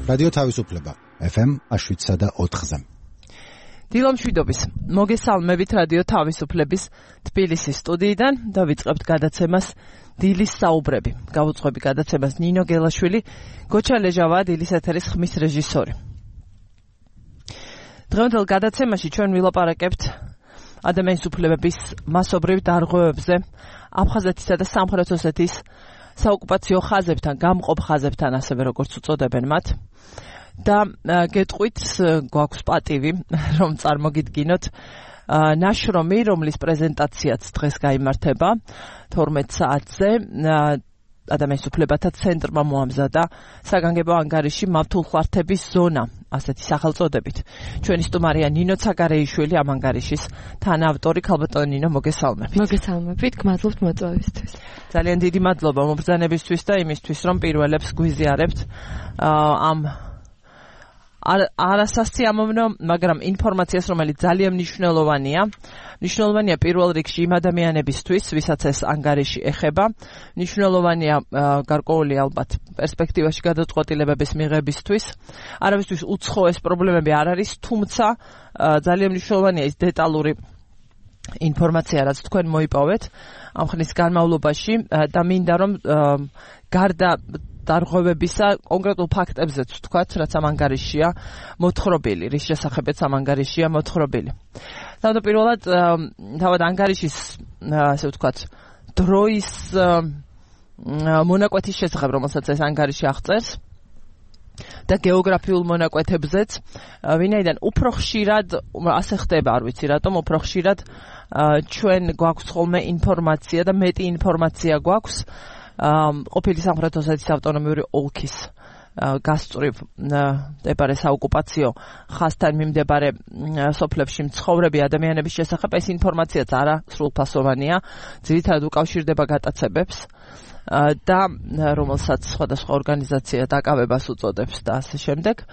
რადიო თავისუფლება FM 107.4-ზე. დილომშვიდობის მოგესალმებით რადიო თავისუფლების თბილისის სტუდიიდან და ვიწყებთ გადაცემას დილის საუბრები. Გავუძღვები გადაცემას ნინო გელაშვილი, გოჩა ლეჟავა დილის ეთერის ხმის რეჟისორი. დღევანდელ გადაცემაში ჩვენ ვილაპარაკებთ ადამიანის უფლებების მასობრივ დარღვევებზე, აფხაზეთისა და სამხრეთ ოსეთის საოკუპაციო ხაზებთან, გამყოფ ხაზებთან, ასევე როგორც უწოდებენ მათ. და გეტყვით, გვაქვს პატივი, რომ წარმოგიდგინოთ ნაშრომი, რომლის პრეზენტაციაც დღეს გაიმართება 12 საათზე. ადამიანის უფლებათა ცენტრმა მოამზადა საგანგებო ანგარიში მავთულხლართების ზონა, ასეთი სახელწოდებით. ჩვენი სტუმარია ნინო ცაგარეიშვილი, ამ ანგარიშის თანაავტორი. ქალბატონო ნინო, მოგესალმებით. მოგესალმებით, გმადლობთ მოწვევისთვის. ძალიან დიდი მადლობა მობრძანებისთვის და იმისთვის, რომ პირველებს გვიზიარებთ ამ არასასიამოვნო, მაგრამ ინფორმაციას, რომელიც ძალიან მნიშვნელოვანია. მნიშვნელოვანია პირველ რიგში იმ ადამიანებისთვის, ვისაც ეს ანგარიში ეხება. მნიშვნელოვანია გარკვეული ალბათ პერსპექტივაში გადაწყვეტილებების მიღებისთვის. არავისთვის უცხოეს პრობლემები არ არის, თუმცა ძალიან მნიშვნელოვანია ის დეტალური ინფორმაცია, რაც თქვენ მოიპოვეთ ამ ხნის განმავლობაში და მინდა რომ გარდა დარღვევებისა კონკრეტულ ფაქტებზეც ვთქვათ, რაც ამ ანგარიშია მოთხრობილი, რის შესახებაც ამ ანგარიშია მოთხრობილი. თავდაპირველად თავად ანგარიშის, ასე ვთქვათ, დროის მონაკვეთის შესახებ, რომელსაც ეს ანგარიში აღწერს და გეოგრაფიულ მონაკვეთებზეც, ვინაიდან უფრო ხშირად ასე ხდება, არ ვიცი რატომ, უფრო ხშირად ჩვენ გვაქვს ხოლმე ინფორმაცია და მეტი ინფორმაცია გვაქვს ყოფილი სამხრეთ ოსეთის ავტონომიური ოლქის გასწვრივ მდებარე საოკუპაციო ხაზთან მიმდებარე სოფლებში მცხოვრები ადამიანების შესახებ. ეს ინფორმაციაც არა სრულფასოვანია, ძირითადად უკავშირდება გატაცებებს და რომელსაც სხვადასხვა ორგანიზაცია დაკავებას უწოდებს და ასე შემდეგ.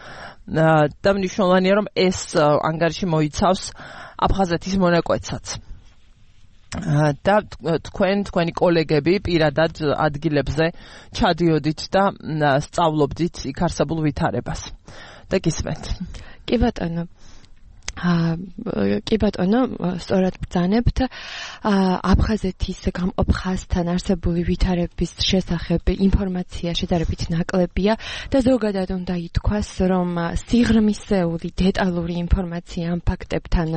და მნიშვნელოვანია, რომ ეს ანგარიში მოიცავს აფხაზეთის მონაკვეთსაც. და თქვენი კოლეგები პირადად ადგილებზე ჩადიოდით და სწავლობდით იქ არსებულ ვითარებას. და გისმენთ. კი ბატონო, სწორად ბრძანებთ. აფხაზეთის გამყოფ ხაზთან არსებული ვითარების შესახებ ინფორმაცია შედარებით ნაკლებია და ზოგადად უნდა ითქვას, რომ სიღრმისეული დეტალური ინფორმაცია ამ ფაქტებთან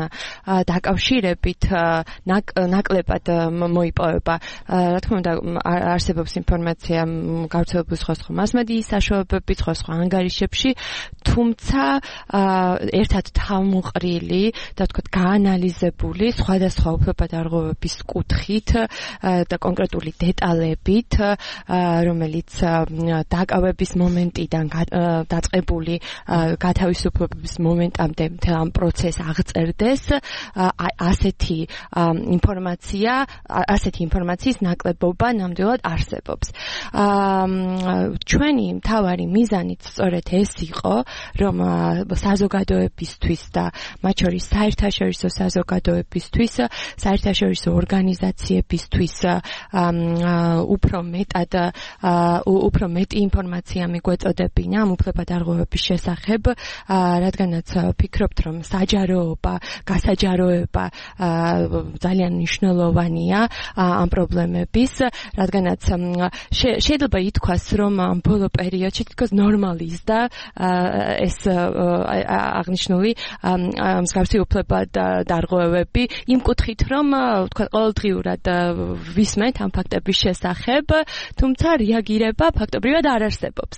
დაკავშირებით ნაკლებად მოიპოვება. რა თქმა უნდა, არსებობს ინფორმაცია გავრცელებული სხვა მასმედიის საშუალებებით, სხვა ანგარიშებში, თუმცა ერთად თავმოყრილი და თქვათ გაანალიზებული სხვადასხვა უფლებადარღვევების კუთხით და კონკრეტული დეტალებით, რომელიც დაკავების მომენტიდან დაწყებული გათავისუფლების მომენტამდე მთელ ამ პროცესს აღწერდეს, ასეთი ინფორმაციის ნაკლებობა ნამდვილად არსებობს. ჩვენი მთავარი მიზანიც სწორედ ეს იყო, რომ საზოგადოებისთვის და მათ შორის საერთაშორისო საზოგადოებისთვის, საერთაშორისო ორგანიზაციებისთვის უფრო მეტი ინფორმაცია მიგვეწოდებინა ამ უფლებადარღვევების შესახებ, რადგანაც ვფიქრობთ, რომ საჯაროობა, გასაჯაროება ძალიან მნიშვნელოვანია ამ პრობლემების, რადგანაც შეიძლება ითქვას, რომ ამ ბოლო პერიოდში თითქოს ნორმალიზდა ეს აღნიშნული მსგავსი უფლებადარღვევები იმ კუთხით, რომ თქვა ყოველდღიურად ვისმენთ ამ ფაქტების შესახებ, თუმცა რეაგირება ფაქტობრივად არ არსებობს.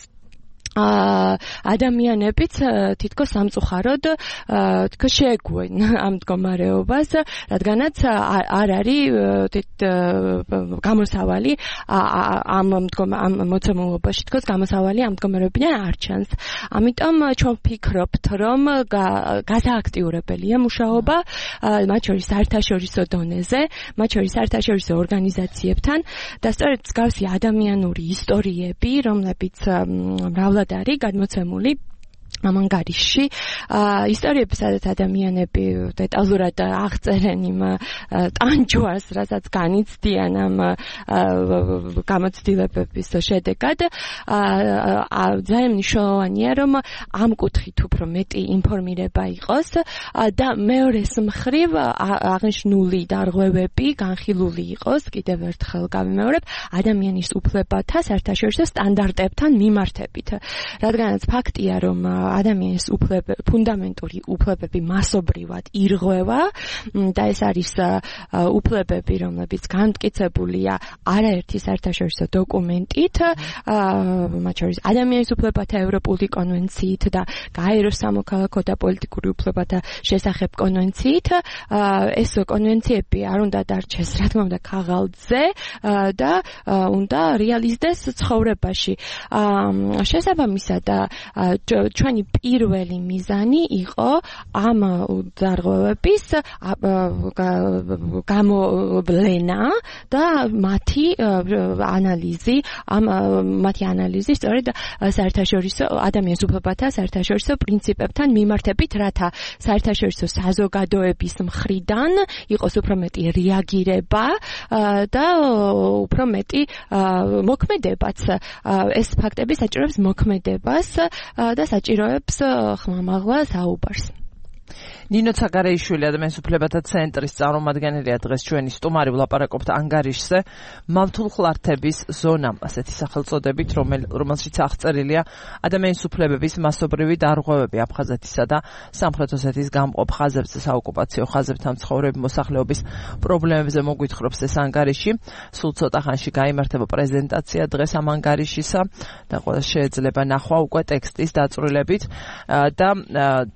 ადამიანებიც თითქოს სამწუხაროდ თითქოს შეეგუენ ამ მდგომარეობას, რადგანაც არ არის გამოსავალი ამ მოცემულობაში, თითქოს გამოსავალი ამ მდგომარეობიდან არ ჩანს. ამიტომ ჩვენ ვფიქრობთ, რომ გასააქტიურებელია მუშაობა, მათ შორის საერთაშორისო დონეზე, მათ შორის საერთაშორისო ორგანიზაციებთან და სწორედ მსგავსი ადამიანური ისტორიები, რომლებიც მრავლად არის გადმოცემული ამ ანგარიშში ისტორიები, სადაც ადამიანები დეტალურად აღწერენ იმ ტანჯვას, რასაც განიცდიან ამ გამოცდილებების შედეგად, ძალიან მნიშვნელოვანია, რომ ამ კუთხით უფრო მეტი ინფორმირება იყოს და მეორეს მხრივ აღნიშნული დარღვევები განხილული იყოს, კიდევ ერთხელ გავიმეორებ, ადამიანის უფლებათა საერთაშორისო სტანდარტებთან მიმართებით. რადგანაც ფაქტია, რომ ადამიანის ფუნდამენტური უფლებები მასობრივად ირღვევა და ეს არის უფლებები, რომლებიც განმტკიცებულია არაერთი საერთაშორისო დოკუმენტით, მათ შორის ადამიანის უფლებათა ევროპული კონვენციით და გაეროს სამოქალაქო და პოლიტიკური უფლებათა შესახებ კონვენციით. ეს კონვენციები არ უნდა დარჩეს, რა თქმა უნდა, ქაღალდზე და უნდა რეალიზდეს ცხოვრებაში. შესაბამისად, ჩვენი პირველი მიზანი იყო ამ დარღვევების გამოვლენა და მათი ანალიზი სწორედ საერთაშორისო ადამიანის უფლებათა საერთაშორისო პრინციპებთან მიმართებით, რათა საერთაშორისო საზოგადოების მხრიდან იყოს უფრო მეტი რეაგირება და უფრო მეტი მოქმედებაც. ეს ფაქტები საჭიროებს მოქმედებას და საჭიროებს ხმამაღლა საუბარს. ნინო ცაგარეიშვილი ადამიანის უფლებათა ცენტრის წარმომადგენელია დღეს ჩვენი სტუმარი, ვლაპარაკობთ ანგარიშზე მავთულ ხლართების ზონა, ასეთი სახელწოდებით, რომელშიც აღწერილია ადამიანის უფლებების მასობრივი დარღვევები აფხაზეთისა და სამხრეთ ოსეთის გამყოფ ხაზებზე, საოკუპაციო ხაზებთან მცხოვრები მოსახლეობის პრობლემებზე მოგვითხრობს ეს ანგარიში. სულ ცოტა ხანში გაიმართება პრეზენტაცია დღეს ამ ანგარიშისა და ყველა შეიძლება ნახვა უკვე ტექსტის დაწვრილებით და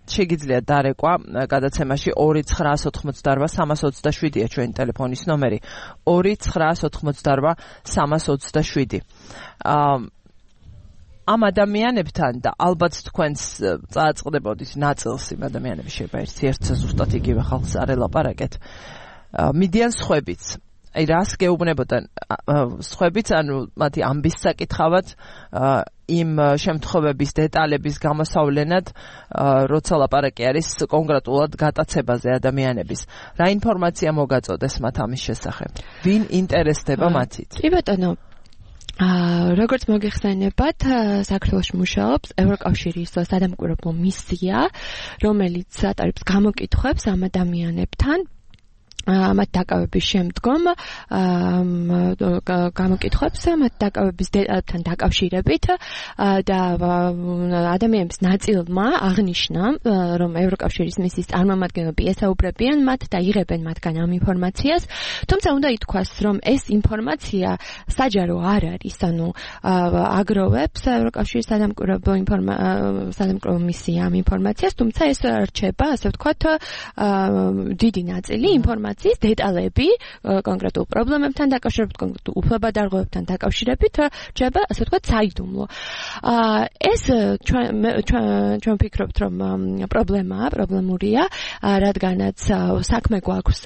შეგიძლიათ დარეკვა გადაცემაში 2988327-ია ჩვენი ტელეფონის ნომერი 2988327. ამ ადამიანებთან და ალბათ თქვენს წააწყდებოდით ნაწილს იმ ადამიანების შეიძლება ერთ ზუსტად იგივე ხალხს არ ელაპარაკეთ. მიდიან სხვებიც. აი რას გეუბნებოდან სხვებიც, ანუ მათი ამბის საკითხავად იმ შემთხვევების დეტალების გამოსავლენად, როცა ლაპარაკი არის კონკრეტულად გატაცებაზე ადამიანების. რა ინფორმაცია მოგაწოდეს მათ ამის შესახებ? ვინ ინტერესდება მათით? კი ბატონო, როგორც მოგეხსენებათ, საქართველოში მუშაობს ევროკავშირის სადამკვირვებლო მისია, რომელიც ატარებს გამოკითხვებს ამ ადამიანებთან. მათ დაკავების შემდგომ გამოკითხვებს მათ დაკავების დეტალებთან დაკავშირებით და ადამიანების ნაწილმა აღნიშნა, რომ ევროკავშირის მისიის წარმომადგენლები ესაუბრებიან მათ და იღებენ მათგან ამ ინფორმაციას, თუმცა უნდა ითქვას, რომ ეს ინფორმაცია საჯარო არ არის, ანუ აგროვებს ევროკავშირის სადამკვირვებლო მისია ამ ინფორმაციას, თუმცა ეს რჩება, ასე ვთქვათ, დიდი ნაწილი ინფორმაციის დეტალები კონკრეტულ პრობლემებთან დაკავშირებით, კონკრეტულ უფლებადარღვევებთან დაკავშირებით რჩება, ასე ვთქვათ, საიდუმლო. ეს ჩვენ ვფიქრობთ, რომ პრობლემურია, რადგანაც საქმე გვაქვს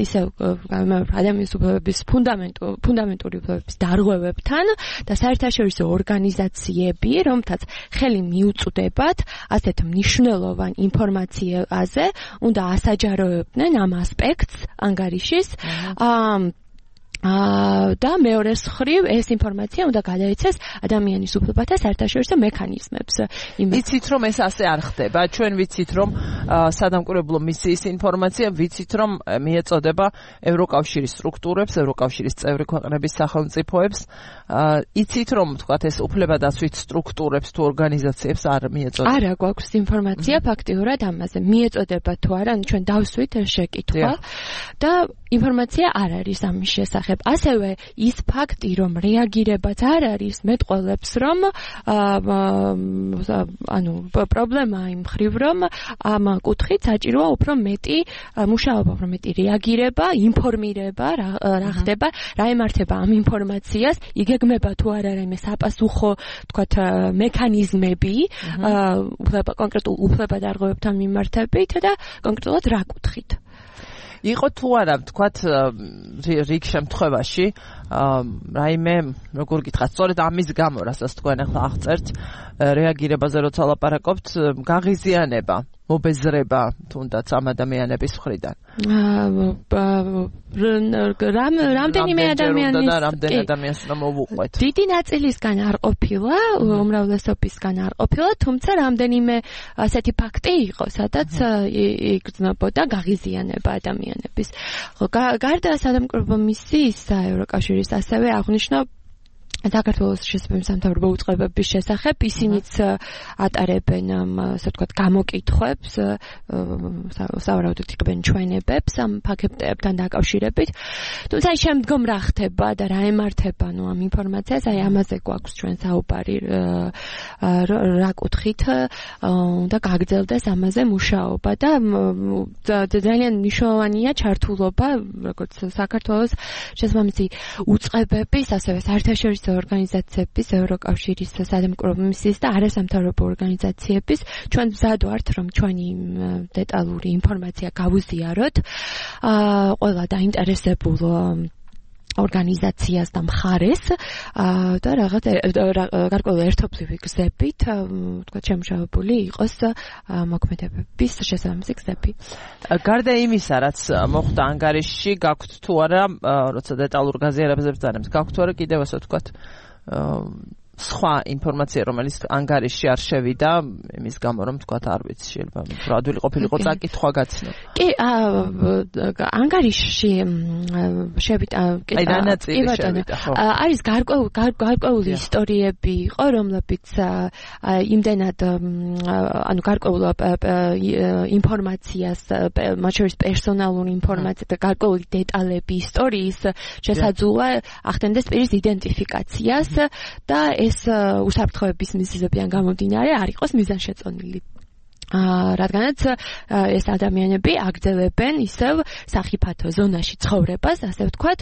ისევ ადამიანის უფლებების ფუნდამენტური უფლებების დარღვევებთან და საერთაშორისო ორგანიზაციები, რომთაც ხელი მიუწვდებათ ასეთ მნიშვნელოვან ინფორმაციაზე, უნდა ასაჯაროებდნენ ამ ასპექტს ანგარიშის და მეორეს მხრივ ეს ინფორმაცია უნდა გადაეცეს ადამიანის უფლებათა საერთაშორისო მექანიზმებს. ვიცით, რომ ეს ასე არ ხდება. ჩვენ ვიცით, რომ სადამკვირვებლო მისიის ინფორმაცია, ვიცით, რომ მიეწოდება ევროკავშირის სტრუქტურებს, ევროკავშირის წევრი ქვეყნების სახელმწიფოებს. იცით, რომ თქვათ ეს უფლებადაცვით სტრუქტურებს თუ ორგანიზაციებს არ მიეწოდება? არა, გვაქვს ინფორმაცია ფაქტიურად ამაზე. მიეწოდება თუ არა, ჩვენ დავსვით შეკითხვა და ინფორმაცია არ არის ამის შესახებ. ასევე ის ფაქტი, რომ რეაგირებაც არ არის, მეტყველებს, რომ პრობლემა იმ მხრივ, რომ ამ კუთხით საჭიროა უფრო მეტი მუშაობა, უფრო მეტი რეაგირება, ინფორმირება, რა ხდება, რა ემართება ამ ინფორმაციას, იგეგმება თუ არ არის საპასუხო, თქვათ, მექანიზმები, კონკრეტულ უფლებადარღვევებთან მიმართებით და კონკრეტულად რა კუთხით. იყო თუ არა თქვათ რიგ შემთხვევაში რაიმე როგორ გითხრათ სწორედ ამის გამო რასაც თქვენ ახლა აღწერთ რეაგირებაზე როცა ლაპარაკობთ გაღიზიანება მობეზრება თუნდაც ამ ადამიანების მხრიდან რამდენიმე ადამიანს უნდა მოვუყვეთ დიდი ნაწილისგან არ ყოფილა უმრავლესობისგან არ ყოფილა თუმცა რამდენიმე ასეთი ფაქტი იყო სადაც იგრძნობოდა გაღიზიანება ადამიანების გარდა სადამკვირვებლო მისიისა ევროკავშირის ასევე აღნიშნა საქართველოს შესაბამის სამთავრობო უწყებების შესახებ ისინიც ატარებენ ასე ვთქვათ გამოკითხვებს სავარაუდოდ იყებენ ჩვენებებს ამ ფაქტებთან დაკავშირებით თუმცა შემდგომ რა ხდება და რა ემართება ამ ინფორმაციას აი ამაზე გვაქვს ჩვენ საუბარი რა კუთხით უნდა გაგრძელდეს ამაზე მუშაობა და ძალიან მნიშვნელოვანია ჩართულობა როგორც საქართველოს შესაბამისი უწყებების ასევე საერთაშორისო ორგანიზაციების ევროკავშირის სადამკვირვებლო მისიის და არასამთავრობო ორგანიზაციების ჩვენ მზად ვართ რომ ჩვენი დეტალური ინფორმაცია გავუზიაროთ ყველა დაინტერესებულ ორგანიზაციას და მხარეს და რაღაც გარკვეული ერთობლივი გზებით თქვა შემუშავებული იყოს მოქმედებების შესაბამისი გზები. გარდა იმისა, რაც მოხდა ანგარიშში, გაქვთ თუ არა, როცა დეტალურ გაზიარებებს დანებს, გაქვთ თუ არა კიდევ ასე ვთქვათ სხვა ინფორმაცია, რომელიც ანგარიშში არ შევიდა, იმის გამო რომ თქვათ არ ვიცი, შეიძლება უფრო ადვილი ყოფილიყო წაკითხვა გაცნო. კი, ანგარიშში შევიდა, კი ბატონო. არის გარკვეული ისტორიები იყო, რომლებიც იმდენად ანუ გარკვეულ ინფორმაციას, მათ შორის პერსონალურ ინფორმაციას და გარკვეული დეტალები ისტორიის შესაძლოა ახდენდეს პირის იდენტიფიკაციას და ეს უსაფრთხოების მიზეზებიდან გამომდინარე არ იყოს მიზანშეწონილი. რადგანაც ეს ადამიანები აგრძელებენ ისევ სახიფათო ზონაში ცხოვრებას, ასე ვთქვათ,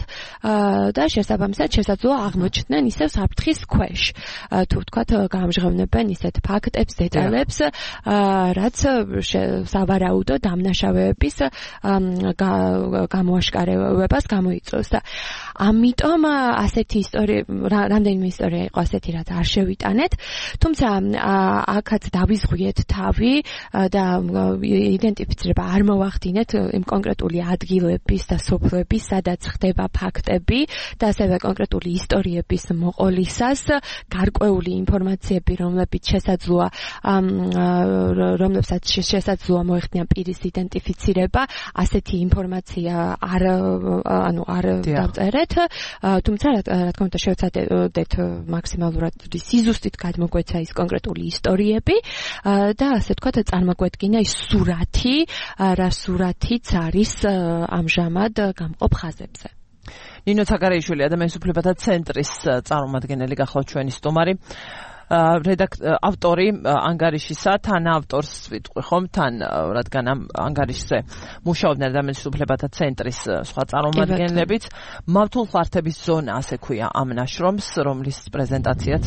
და შესაბამისად შესაძლოა აღმოჩნდნენ ისევ საფრთხის ქვეშ. თუ ვთქვათ, გამჟღავნებენ ისეთ ფაქტებს, დეტალებს, რაც სავარაუდო დამნაშავეების გამოაშკარებას გამოიწვევს და ამიტომ ასეთი ისტორია, რამდენიმე ისტორია იყო ასეთი, რაც არ შევიტანეთ, თუმცა აქაც დავიზღვიეთ თავი და იდენტიფიცირება არ მოვახდინეთ იმ კონკრეტული ადგილების და სოფლების, სადაც ხდება ფაქტები და ასევე კონკრეტული ისტორიების მოყოლისას გარკვეული ინფორმაციები, რომლებსაც შესაძლოა მოეხდინა პირის იდენტიფიცირება, ასეთი ინფორმაცია არ დავწერეთ, თუმცა რა თქმა უნდა შევცადეთ მაქსიმალურად სიზუსტით გადმოგვეცა ის კონკრეტული ისტორიები და ასე ვთქვათ წარმოგვედგინა ის სურათი, რა სურათიც არის ამჟამად გამყოფ ხაზებზე. ნინო ცაგარეიშვილი, ადამიანის უფლებათა ცენტრის წარმომადგენელი გახლავთ ჩვენი სტუმარი. ავტორი ანგარიშისა, თან ავტორს ვიტყვი ხომ, თან რადგან ამ ანგარიშზე მუშაობდნენ ადამიანის უფლებათა ცენტრის სხვა წარმომადგენლებიც. მავთულ ხართების ზონა, ასე ქვია ამ ნაშრომს, რომლის პრეზენტაციაც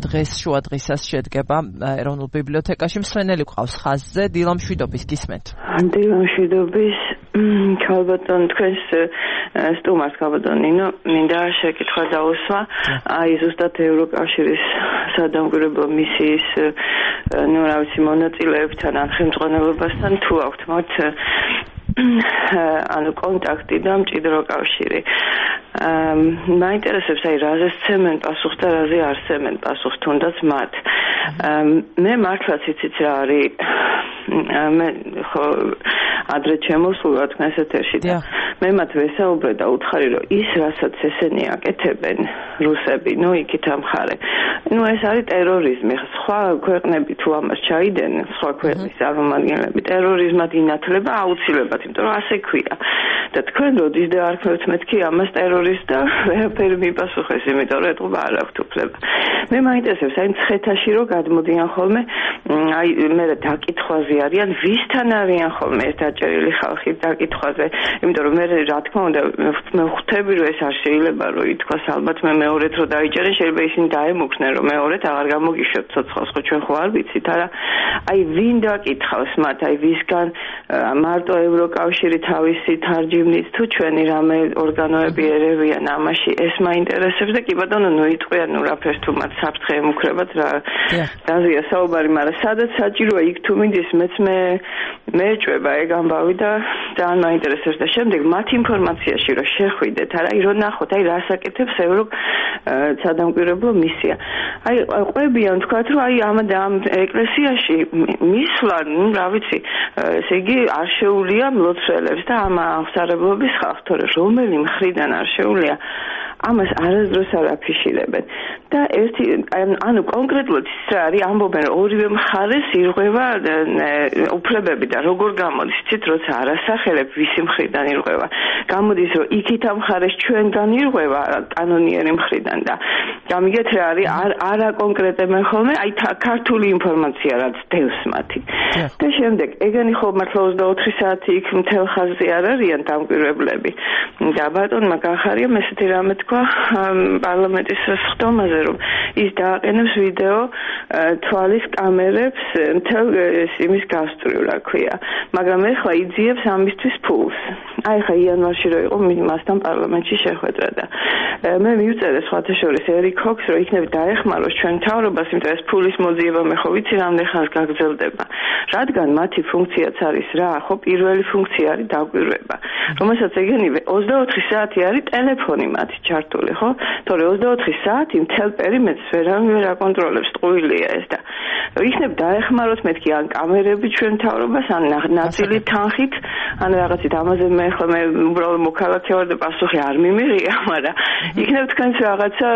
დღეს შუა დღისას შედგება ეროვნულ ბიბლიოთეკაში. მსმენელი გვყავს ხაზზე, დილა მშვიდობის გისმენთ. დილა მშვიდობის, ქალბატონ თქვენს სტუმარს ქალბატონ ნინო, მინდა შეკითხვა დაუსვა, აი ზუსტად ევროკავშირის სადამკვირვებლო მისიის რა ვიცი მონაწილეებთან ან ხელმძღვანელობასთან თუ აქვთ მათ ანუ კონტაქტი და მჭიდრო კავშირი. მაინტერესებს აი რაზე სცემენ პასუხს და რაზე არ სცემენ პასუხს თუნდაც მათ. მე მართლაც იცით რა არის მე ხო ადრე ჩემოსულა თქვენს ეთერში და მე მათ ვესაუბრე და უთხარი რომ ის რასაც ესენი აკეთებენ რუსები, ნუ იქით ამხარე. ნუ ეს არის ტერორიზმი. სხვა ქვეყნები თუ ამას ჩაიდენენ, სხვა ქვეყნის წარმომადგენლები ტერორიზმად ინათლება აუცილებლად, იმიტომ რომ ასე ქვია. და თქვენ როდის დაარქმევთ მეთქი ამას ტერორისტ და ვერაფერი მიპასუხეს, იმიტომ რომ ეთყობა არ აქვთ უფლება. მე მაინტერესებს აი მცხეთაში რომ გადმოდიან ხოლმე, აი მე დაკითხვაზე არიან, ვისთან არიან ხოლმე ეს დაჭერილი ხალხი დაკითხვაზე, იმიტომ რომ მე რა თქმა უნდა მე ხვდები რომ ეს არ შეიძლება რომ ითქვას ალბათ მე მეორედ რო დაიჭერენ შეიძლება ისინი დაემუქრნენ რომ მეორედ აღარ გამოგიშვებთ ცოცხალს ხო ჩვენ ხო არ ვიცით არა აი ვინ დაკითხავს მათ აი ვისგან მარტო ევროკავშირი თავისი თარჯიმნით თუ ჩვენი რამე ორგანოები ერევიან ამაში ეს მაინტერესებს და კი ბატონო ნუ იტყვიან ნუ რაფერს თუ მათ საფრთხე ემუქრებათ რა დაზია საუბარი მაგრამ სადაც საჭიროა იქ თუ მინდის მეც მეეჭვება ეგ ამბავი და ძალიან მაინტერესებს და შემდეგ მათ ინფორმაციაში რომ შეხვიდეთ არა აი რომ ნახოთ აი რას აკეთებს სადამკვირვებლო მისია აი ყვებიან თქვათ რომ აი ამ ეკლესიაში მისვლა ნუ რა ვიცი ესე იგი არ შეუულია მლოცველებს და ამ აღსარებლობის ხალხს თორე რომელი მხრიდან არ შეუულია ამას არასდროს არ აფიშირებენ და ერთი ანუ კონკრეტულად ის რა არის ამბობენ რომ ორივე მხარეს ირღვევა უფლებები და როგორ გამოდის იცით როცა არასახელებ ვისი მხრიდან ირღვევა გამოდის რომ იქით ამ მხარეს ჩვენგან ირღვევა კანონიერი მხრიდან და გამიგეთ რა არის არა კონკრეტებენ ხოლმე აი ქართული ინფორმაცია რაც დევს მათი და შემდეგ ეგენი ხო მართლა 24 საათი იქ მთელ ხაზზე არ არიან დამკვირვებლები და ბატონმა გახარია ესეთი რამე პარლამენტის სხდომაზე რომ ის დააყენებს ვიდეო თვალის კამერებს მთელ იმის გასწვრივ რა ქვია მაგრამ ეხლა იძიებს ამისთვის ფულს აი ხა იანვარში რო იყო მასთან პარლამენტში შეხვედრა და მე მივწერე სხვათა შორის ერიკ ჰოქს რომ იქნებ დაეხმაროს ჩვენ მთავრობას იმიტომ ეს ფულის მოძიება მე ხო ვიცი რამდენ ხანს გაგრძელდება რადგან მათი ფუნქციაც არის რა ხო პირველი ფუნქცია არის დაკვირვება რომელსაც ეგენივე 24 საათი არის ტელეფონი მათი ჩართული ხო თორე 24 საათი მთელ პერიმეტრს ვერ აკონტროლებს ტყუილია ეს და იქნებ დაეხმაროთ მეთქი ან კამერები ჩვენ მთავრობას ან ნაწილი თანხით ან რაღაცით ამაზე მე ხო მე უბრალოდ მოქალაქე ვარ და პასუხი არ მიმიღია მაგრამ იქნებ თქვენს რაღაცა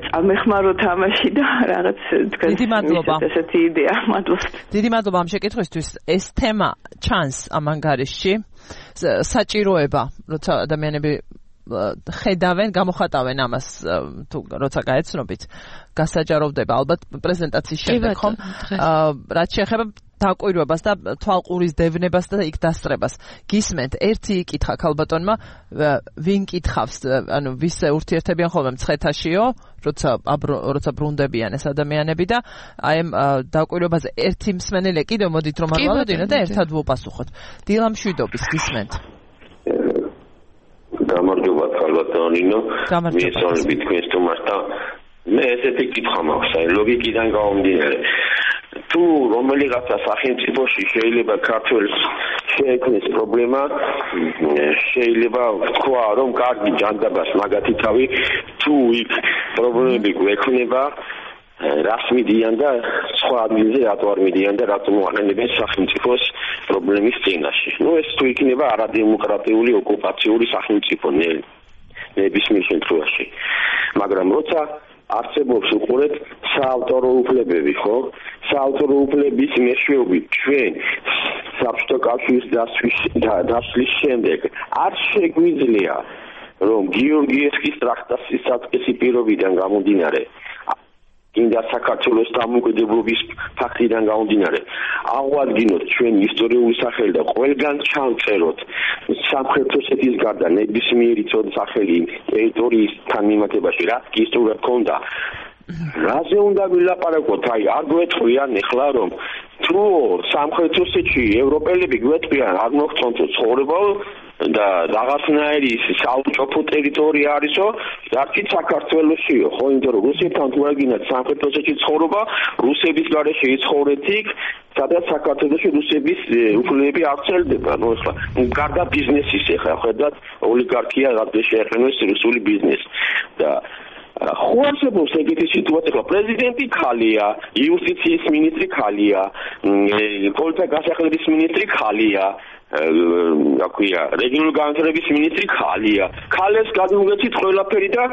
წამეხმაროთ ამაში და რაღაც თქვენს ესეთი იდეა მადლობა დიდი მადლობა ამ შეკითხვისთვის ეს თემა ჩანს ამ ანგარიშში საჭიროება როცა ადამიანები ხედავენ, გამოხატავენ ამას თუ როცა გაეცნობით, გასაჯაროვდება ალბათ პრეზენტაციის შემდეგ ხომ? რაც შეეხება დაკვირვებას და თვალყურის დევნებას და იქ დასწრებას. გისმენთ, ერთი იკითხა ქალბატონმა, ვინ კითხავს, ანუ ვის ურთიერთებიან ხოლმე მცხეთაშიო, როცა ბრუნდებიან ეს ადამიანები და აი ამ დაკვირვებაზე ერთი მსმენელი კიდევ მოდით რომ არ მოვიდინოთ და ერთად ვუპასუხოთ. დილა მშვიდობის გისმენთ. გამარჯობა ქალბატონინო მიესალმებით თქვენს თომას და მე ესეთი კითხვა მაქვს აი ლოგიკიდან გამომდინარე თუ რომელიღაცა სახელმწიფოში შეიძლება ქართველს შეექმნეს პრობლემა შეიძლება თქვა რომ კარგი ჯანდაბას მაგათი თავი თუ იქ პრობლემები გვექნება რას მიდიან და სხვა ადგილზე რატო არ მიდიან და რატომ აყენებენ სახელმწიფოს პრობლემის წინაშე. ნუ ეს თუ იქნება არადემოკრატიული ოკუპაციური სახელმწიფო ნებისმიერ შემთხვევაში. მაგრამ როცა არსებობს უყურეთ საავტორო უფლებები, ხო? საავტორო უფლების მეშვეობით ჩვენ საბჭოთა კავშირის დასვლის შემდეგ არ შეგვიძლია რომ გიორგიევსკის ტრაქტატის საწყისი პირობიდან გამომდინარე ინდა საქართველოს დამოუკიდებლობის ფაქტიდან გამომდინარე აღვადგინოთ ჩვენი ისტორიული სახელი და ყველგან ჩავწეროთ სამხრეთ ოსეთის გარდა ნებისმიერი ცოდნა სახელი ტერიტორიისთან მიმართებაში რა ისტორია ქონდა რაზე უნდა ვილაპარაკოთ აი არ გვეთქვიან ეხლა რომ თუ სამხრეთ ოსეთში ევროპელები გვეთქვიან არ მოგწონთ ცხოვრება და რაღაცნაირი საავტოფო ტერიტორია არისო, არც საქართველოსიო, ხო, იმიტომ რომ რუსეთთან თუ აგინათ სამხრეთ ოსეთში ცხოვრობა, რუსების გარეშე იცხოვრეთ იქ, სადაც საქართველოში რუსების უფლებები აღწევდება, ნუ ახლა გარდა ბიზნესის ახლა ხედავთ ოლიგარქია რადგან შეეხენოს რუსული ბიზნესი და ხო არსებობს ეგეთი სიტუაცია, პრეზიდენტი ხალია, იუსტიციის მინისტრი ხალია, პოლიციას გასახლების მინისტრი ხალია აკვია რეგიონული განვითარების მინისტრი ხალია. ხალეს გადმოგეცით ყველაფერი და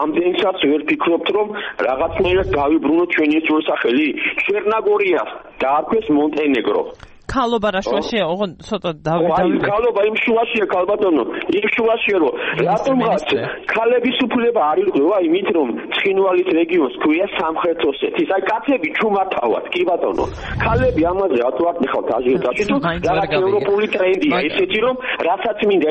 ამდენსაც ვერ ფიქრობთ რომ რაღაცნაირად დავიბრუნოთ ჩვენი ისტორიის სახელი. ჩერნოგორიას დაარქვეს მონტენეგრო. ქალობა რა შუაშია? ოღონ ცოტა დავიდე. ქალობა იმ შუაშია ქალბატონო. იმ შუაშია რომ რატომღაც ქალების უფლება არ ირღვევა იმით რომ ცხინვალის რეგიონს ქვია სამხრეთ ოსეთის. აი კაცები ჩუმართავად, კი ბატონო. ქალები ამაზე რატო არ ნახავთ აჟიოტაჟში თუ რაღაც ევროპული ტრენდია ესეთი რომ რასაც მინდა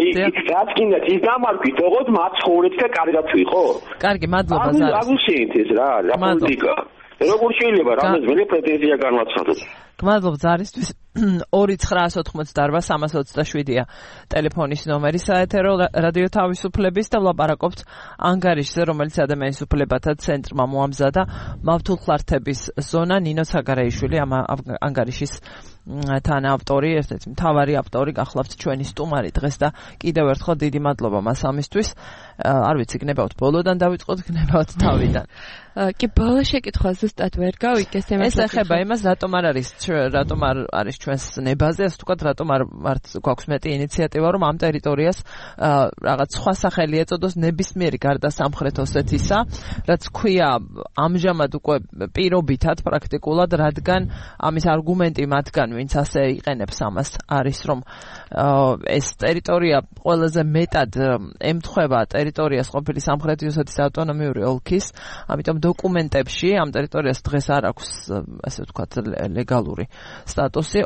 რაც გინდა ის დამარქვით ოღონდ მათ ცხოვრეთ და კარგად ვიყო. კარგი, მადლობა ზარ. აგუშინეთ ეს რა პოლიტიკა. როგორ შეიძლება რამეს პრეტენზია განვაცხადოთ? გმადლობ ზარისთვის 2-988-327-ია ტელეფონის ნომერი საეთერო რადიო თავისუფლების და ვლაპარაკობთ ანგარიშზე, რომელიც ადამიანის უფლებათა ცენტრმა მოამზადა მავთულხლართების ზონა. ნინო საგარეიშვილი ამ ანგარიშის თანაავტორი, ერთ-ერთი მთავარი ავტორი გახლავთ ჩვენი სტუმარი დღეს და კიდევ ერთხელ დიდი მადლობა მას ამისთვის. არ ვიცი, გნებავთ ბოლოდან დავიწყოთ, გნებავთ თავიდან. კი, ბოლო შეკითხვა ზუსტად ვერ გავიგეს ეს ეხება იმას, რატომ არ არის ჩვენს ნებაზე, ასე ვთქვათ, რატომ არ გვაქვს მეტი ინიციატივა, რომ ამ ტერიტორიას რაღაც სხვა სახელი ეწოდოს ნებისმიერი გარდა სამხრეთ ოსეთისა, რაც ქვია ამჟამად უკვე პირობითად პრაქტიკულად, რადგან ამის არგუმენტი მათგან, ვინც ასე იყენებს ამას, არის რომ ეს ტერიტორია ყველაზე მეტად ემთხვევა ტერიტორიას ყოფილი სამხრეთი ოსეთის ავტონომიური ოლქის, ამიტომ დოკუმენტებში ამ ტერიტორიას დღეს არ აქვს, ასე ვთქვათ, ლეგალური სტატუსი,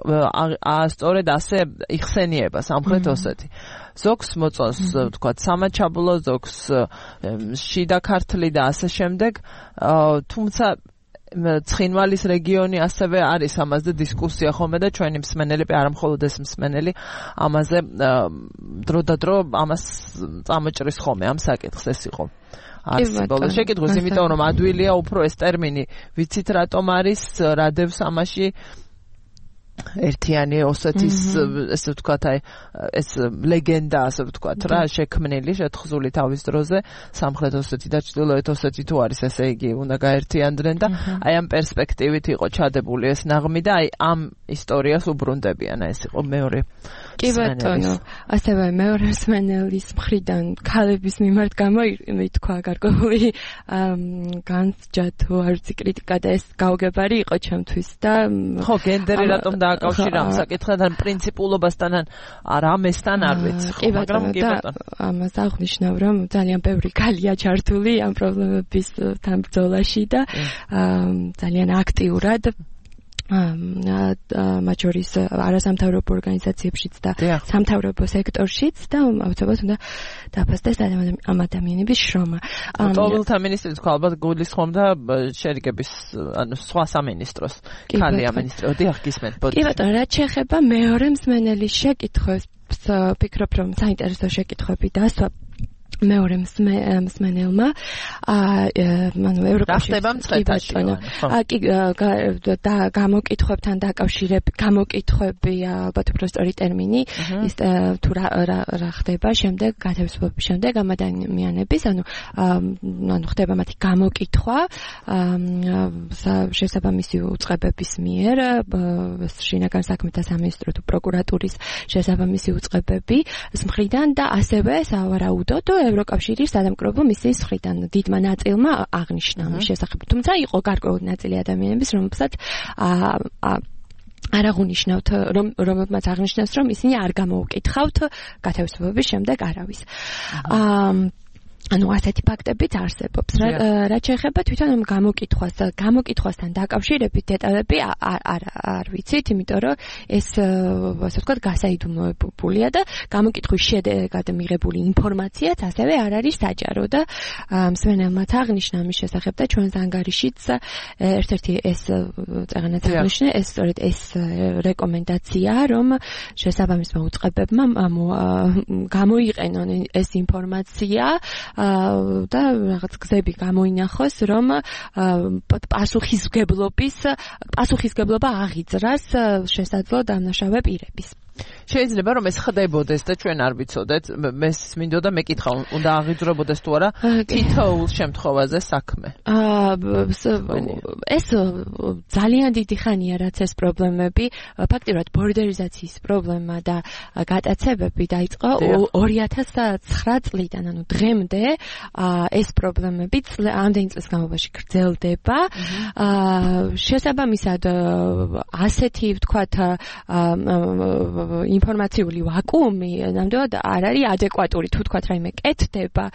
სწორედ ასე იხსენიება სამხრეთ ოსეთი. ზოგს მოწონს, ვთქვათ, სამაჩაბლო, ზოგს შიდა ქართლი და ასე შემდეგ, თუმცა ცხინვალის რეგიონი ასევე არის ამაზე დისკუსია ხოლმე და ჩვენი მსმენელები, არა მხოლოდ ეს მსმენელი, ამაზე დრო და დრო ამას წამოჭრის ხოლმე ამ საკითხს. ეს იყო ბოლო შეკითხვის, იმიტომ რომ ადვილია უფრო ეს ტერმინი, ვიცით რატომ არის, რა დევს ამაში ერთიანი ოსეთის, ესე ვთქვათ, აი ეს ლეგენდა, ასე ვთქვათ, რა შექმნილი, შეთხზული თავის დროზე სამხრეთ ოსეთი და ჩრდილოეთ ოსეთი თუ არის, ესე იგი უნდა გაერთიანდნენ და აი ამ პერსპექტივით იყო ჩადებული ეს ნაღმი და აი ამ ისტორიას უბრუნდებიან. ეს იყო მეორე. კი ბატონო, ასევე მეორე მსმენელის მხრიდან ქალების მიმართ გამოითქვა გარკვეული განსჯა თუ არ ვიცი კრიტიკა და ეს გაუგებარი იყო ჩემთვის და ხო, გენდერი რატომ დააკავშირა ამ საკითხთან, პრინციპულობასთან არ ამესთან არ ვიცი, მაგრამ კი ბატონო. ამას აღნიშნავ, რომ ძალიან ბევრი ქალია ჩართული ამ პრობლემების თან ბრძოლაში და ძალიან აქტიურად მათ შორის არასამთავრობო ორგანიზაციებშიც და სამთავრობო სექტორშიც და აუცილებლად უნდა დაფასდეს ამ ადამიანების შრომა. ყოველთა მინისტრი თქვა, ალბათ გულისხმობდა შერიგების, ანუ სხვა სამინისტროს ქალი ამინისტრო. დიახ, გისმენთ. კი ბატონო, რაც შეეხება მეორე მსმენელის შეკითხვებს, ვფიქრობ, რომ საინტერესო შეკითხვები დასვა მეორე მსმენელმა ანუ ევროკავშირის კი გამოკითხვებთან დაკავშირებით გამოკითხვები ალბათ უფრო სწორი ტერმინი ის თუ რა ხდება შემდეგ გათავისუფლების შემდეგ ამ ადამიანების ანუ ხდება მათი გამოკითხვა შესაბამისი უწყებების მიერ შინაგან საქმეთა სამინისტრო თუ პროკურატურის შესაბამისი უწყებების მხრიდან და ასევე სავარაუდოდ ევროკავშირის სადამკვირვებლო მისიის მხრიდან დიდმა ნაწილმა აღნიშნა ამის შესახებ. თუმცა იყო გარკვეული ნაწილი ადამიანების, რომელსაც არ აღნიშნავთ, რომელთაც აღნიშნავს, რომ ისინი არ გამოუკითხავთ გათავისუფლების შემდეგ არავის. ანუ ასეთი ფაქტებიც არსებობს. რაც შეეხება თვითონ ამ გამოკითხვასთან დაკავშირებით დეტალები არ ვიცით, იმიტომ რომ ეს ასე ვთქვათ გასაიდუმლოებულია და გამოკითხვის შედეგად მიღებული ინფორმაციაც ასევე არ არის საჯარო და მსმენელმაც აღნიშნა ამის შესახებ და ჩვენს ანგარიშიც ერთ-ერთი ეს წაღანაც აღნიშნა ეს სწორედ ეს რეკომენდაცია, რომ შესაბამისმა უწყებებმა გამოიყენონ ეს ინფორმაცია და რაღაც გზები გამოინახოს, რომ პასუხისგებლობა აღიძრას შესაძლო დამნაშავე პირების. შეიძლება რომ ეს ხდებოდეს და ჩვენ არ ვიცოდეთ, მეს მინდოდა მეკითხა, უნდა აღიძვრებოდეს თუ არა თითოეულ შემთხვევაზე საქმე. ეს ძალიან დიდი ხანია რაც ეს პრობლემები, ფაქტიურად ბორდერიზაციის პრობლემა და გატაცებები დაიწყო 2009 წლიდან, ანუ დღემდე ეს პრობლემები ამდენი წლის განმავლობაში გრძელდება. შესაბამისად ასეთი ვთქვათ ინფორმაციული ვაკუუმი ნამდვილად არ არის ადეკვატური, თუ ვთქვათ რაიმე კეთდება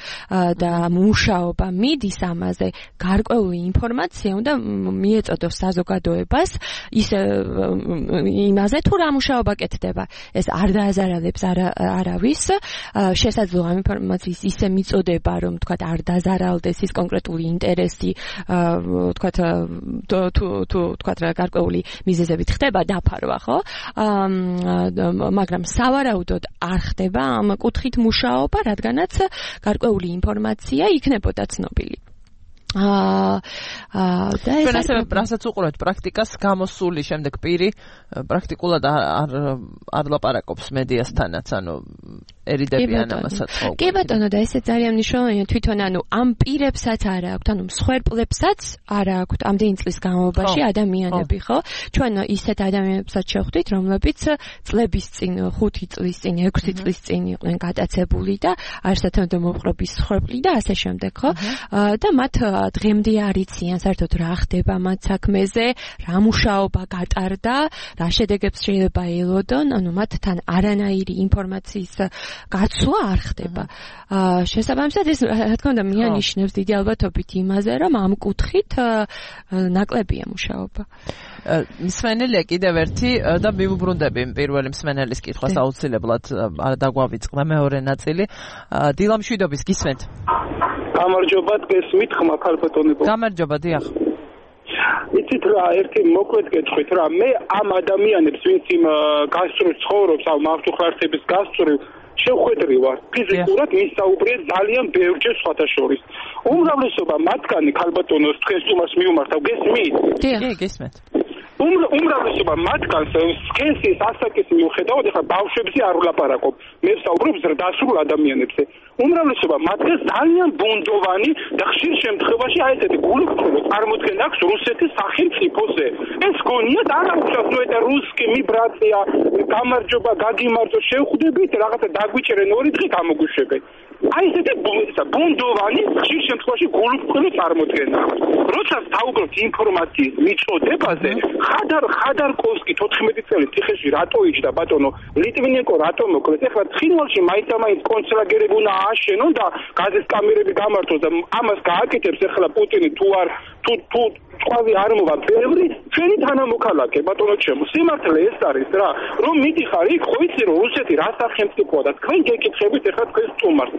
და მუშაობა მიდის ამაზე, გარკვეული ინფორმაცია უნდა მიეწოდოს საზოგადოებას ის იმაზე თუ რა მუშაობა კეთდება. ეს არ დააზარალებს არავის, შესაძლოა ამ ინფორმაციის ისე მიწოდება, რომ ვთქვათ არ დაზარალდეს ის კონკრეტული ინტერესი, ვთქვათ თუ ვთქვათ რა გარკვეული მიზეზებით ხდება დაფარვა, ხო? მაგრამ სავარაუდოდ არ ხდება ამ კუთხით მუშაობა, რადგანაც გარკვეული ინფორმაცია იქნებოდა ცნობილი. და ეს ასევე რასაც უყურებთ პრაქტიკას გამოსული შემდეგ პირი პრაქტიკულად არ ლაპარაკობს მედიასთანაც, ანუ ერიდებიან ამასაც. კი ბატონო, და ესე ძალიან მნიშვნელოვანია თვითონ ანუ ამ პირებსაც არ აქვთ, ანუ მსხვერპლებსაც არ აქვთ ამდენი წლის განმავლობაში ადამიანები, ხო? ჩვენ ისეთ ადამიანებსაც შევხვდით, რომლებიც წლების წინ, 5 წლის წინ, 6 წლის წინ იყვნენ გატაცებული და არსათანადო მოპყრობის მსხვერპლი და ასე შემდეგ, ხო? და მათ დღემდე არ იციან საერთოდ რა ხდება მათ საქმეზე, რა მუშაობა გატარდა, რა შედეგებს შეიძლება ელოდონ, ანუ მათთან არანაირი ინფორმაციის გაცვლა არ ხდება. შესაბამისად ეს რა თქმა უნდა მიანიშნებს დიდი ალბათობით იმაზე, რომ ამ კუთხით ნაკლებია მუშაობა. მსმენელია კიდევ ერთი და მივუბრუნდები პირველი მსმენელის კითხვას აუცილებლად დაგვავიწყდა მეორე ნაწილი. დილა მშვიდობის, გისმენთ. გამარჯობა, გესმით ხმა ქალბატონებო. გამარჯობა, დიახ. იცით რა, ერთი მოკლედ გეტყვით რა, მე ამ ადამიანებს, ვინც იმ გასწრულ ცხოვრობს, ამ ავტოხარცების გასწრულ შევხვედრი ვარ. ფიზიკურად მისაუბრე ძალიან ბევრჯერ სხვათა შორის. უმრავლესობა მათგანი ქალბატონოს დღეს თუმას მიუმართავ, გესმით? კი, გესმით. უმრავლესობა მათგანს სქესის ასაკის მიუხედავად, ეხლა ბავშვებზე არ ვლაპარაკობ, მე ვსაუბრობ ზრდასრულ ადამიანებზე. უმრავლესობა მათგანს ძალიან ბუნდოვანი და ხშირ შემთხვევაში აი ესეთი გულუბრყვილო წარმოდგენა აქვს რუსეთის სახელმწიფოზე. ეს გონიათ არა უშავს ნუ ეს რუსკი მიბრაცია, გამარჯობა, გაგიმარჯო, შევხვდებით, რაღაცა დაგვიჭერენ ორი დღე გამოგუშვებენ. აი ესეთი ბუნდოვანი ხშირ შემთხვევაში გულუბრყვილო წარმოდგენა. როცა საუბრობთ ინფორმაციის მიწოდებაზე, ხადარკოვსკი 14 წელი ციხეში რატო იჯდა ბატონო, ლიტვინენკო რატო მოკლეს, ეხლა ცხინვალში მაინც კონცლაგერები უნდა ააშენონ და გაზის კამერები გამართოს და ამას გააკეთებს ეხლა პუტინი თუ არ თუ ყვავი არ მოვა ბევრი ჩვენი თანამოქალაქე ბატონო ჩემო, სიმართლე ეს არის რა, რომ მიდიხარ იქ, ხო იცი რომ რუსეთი რა სახელმწიფოა და თქვენ გეკითხებით ეხლა თქვენს სტუმარს.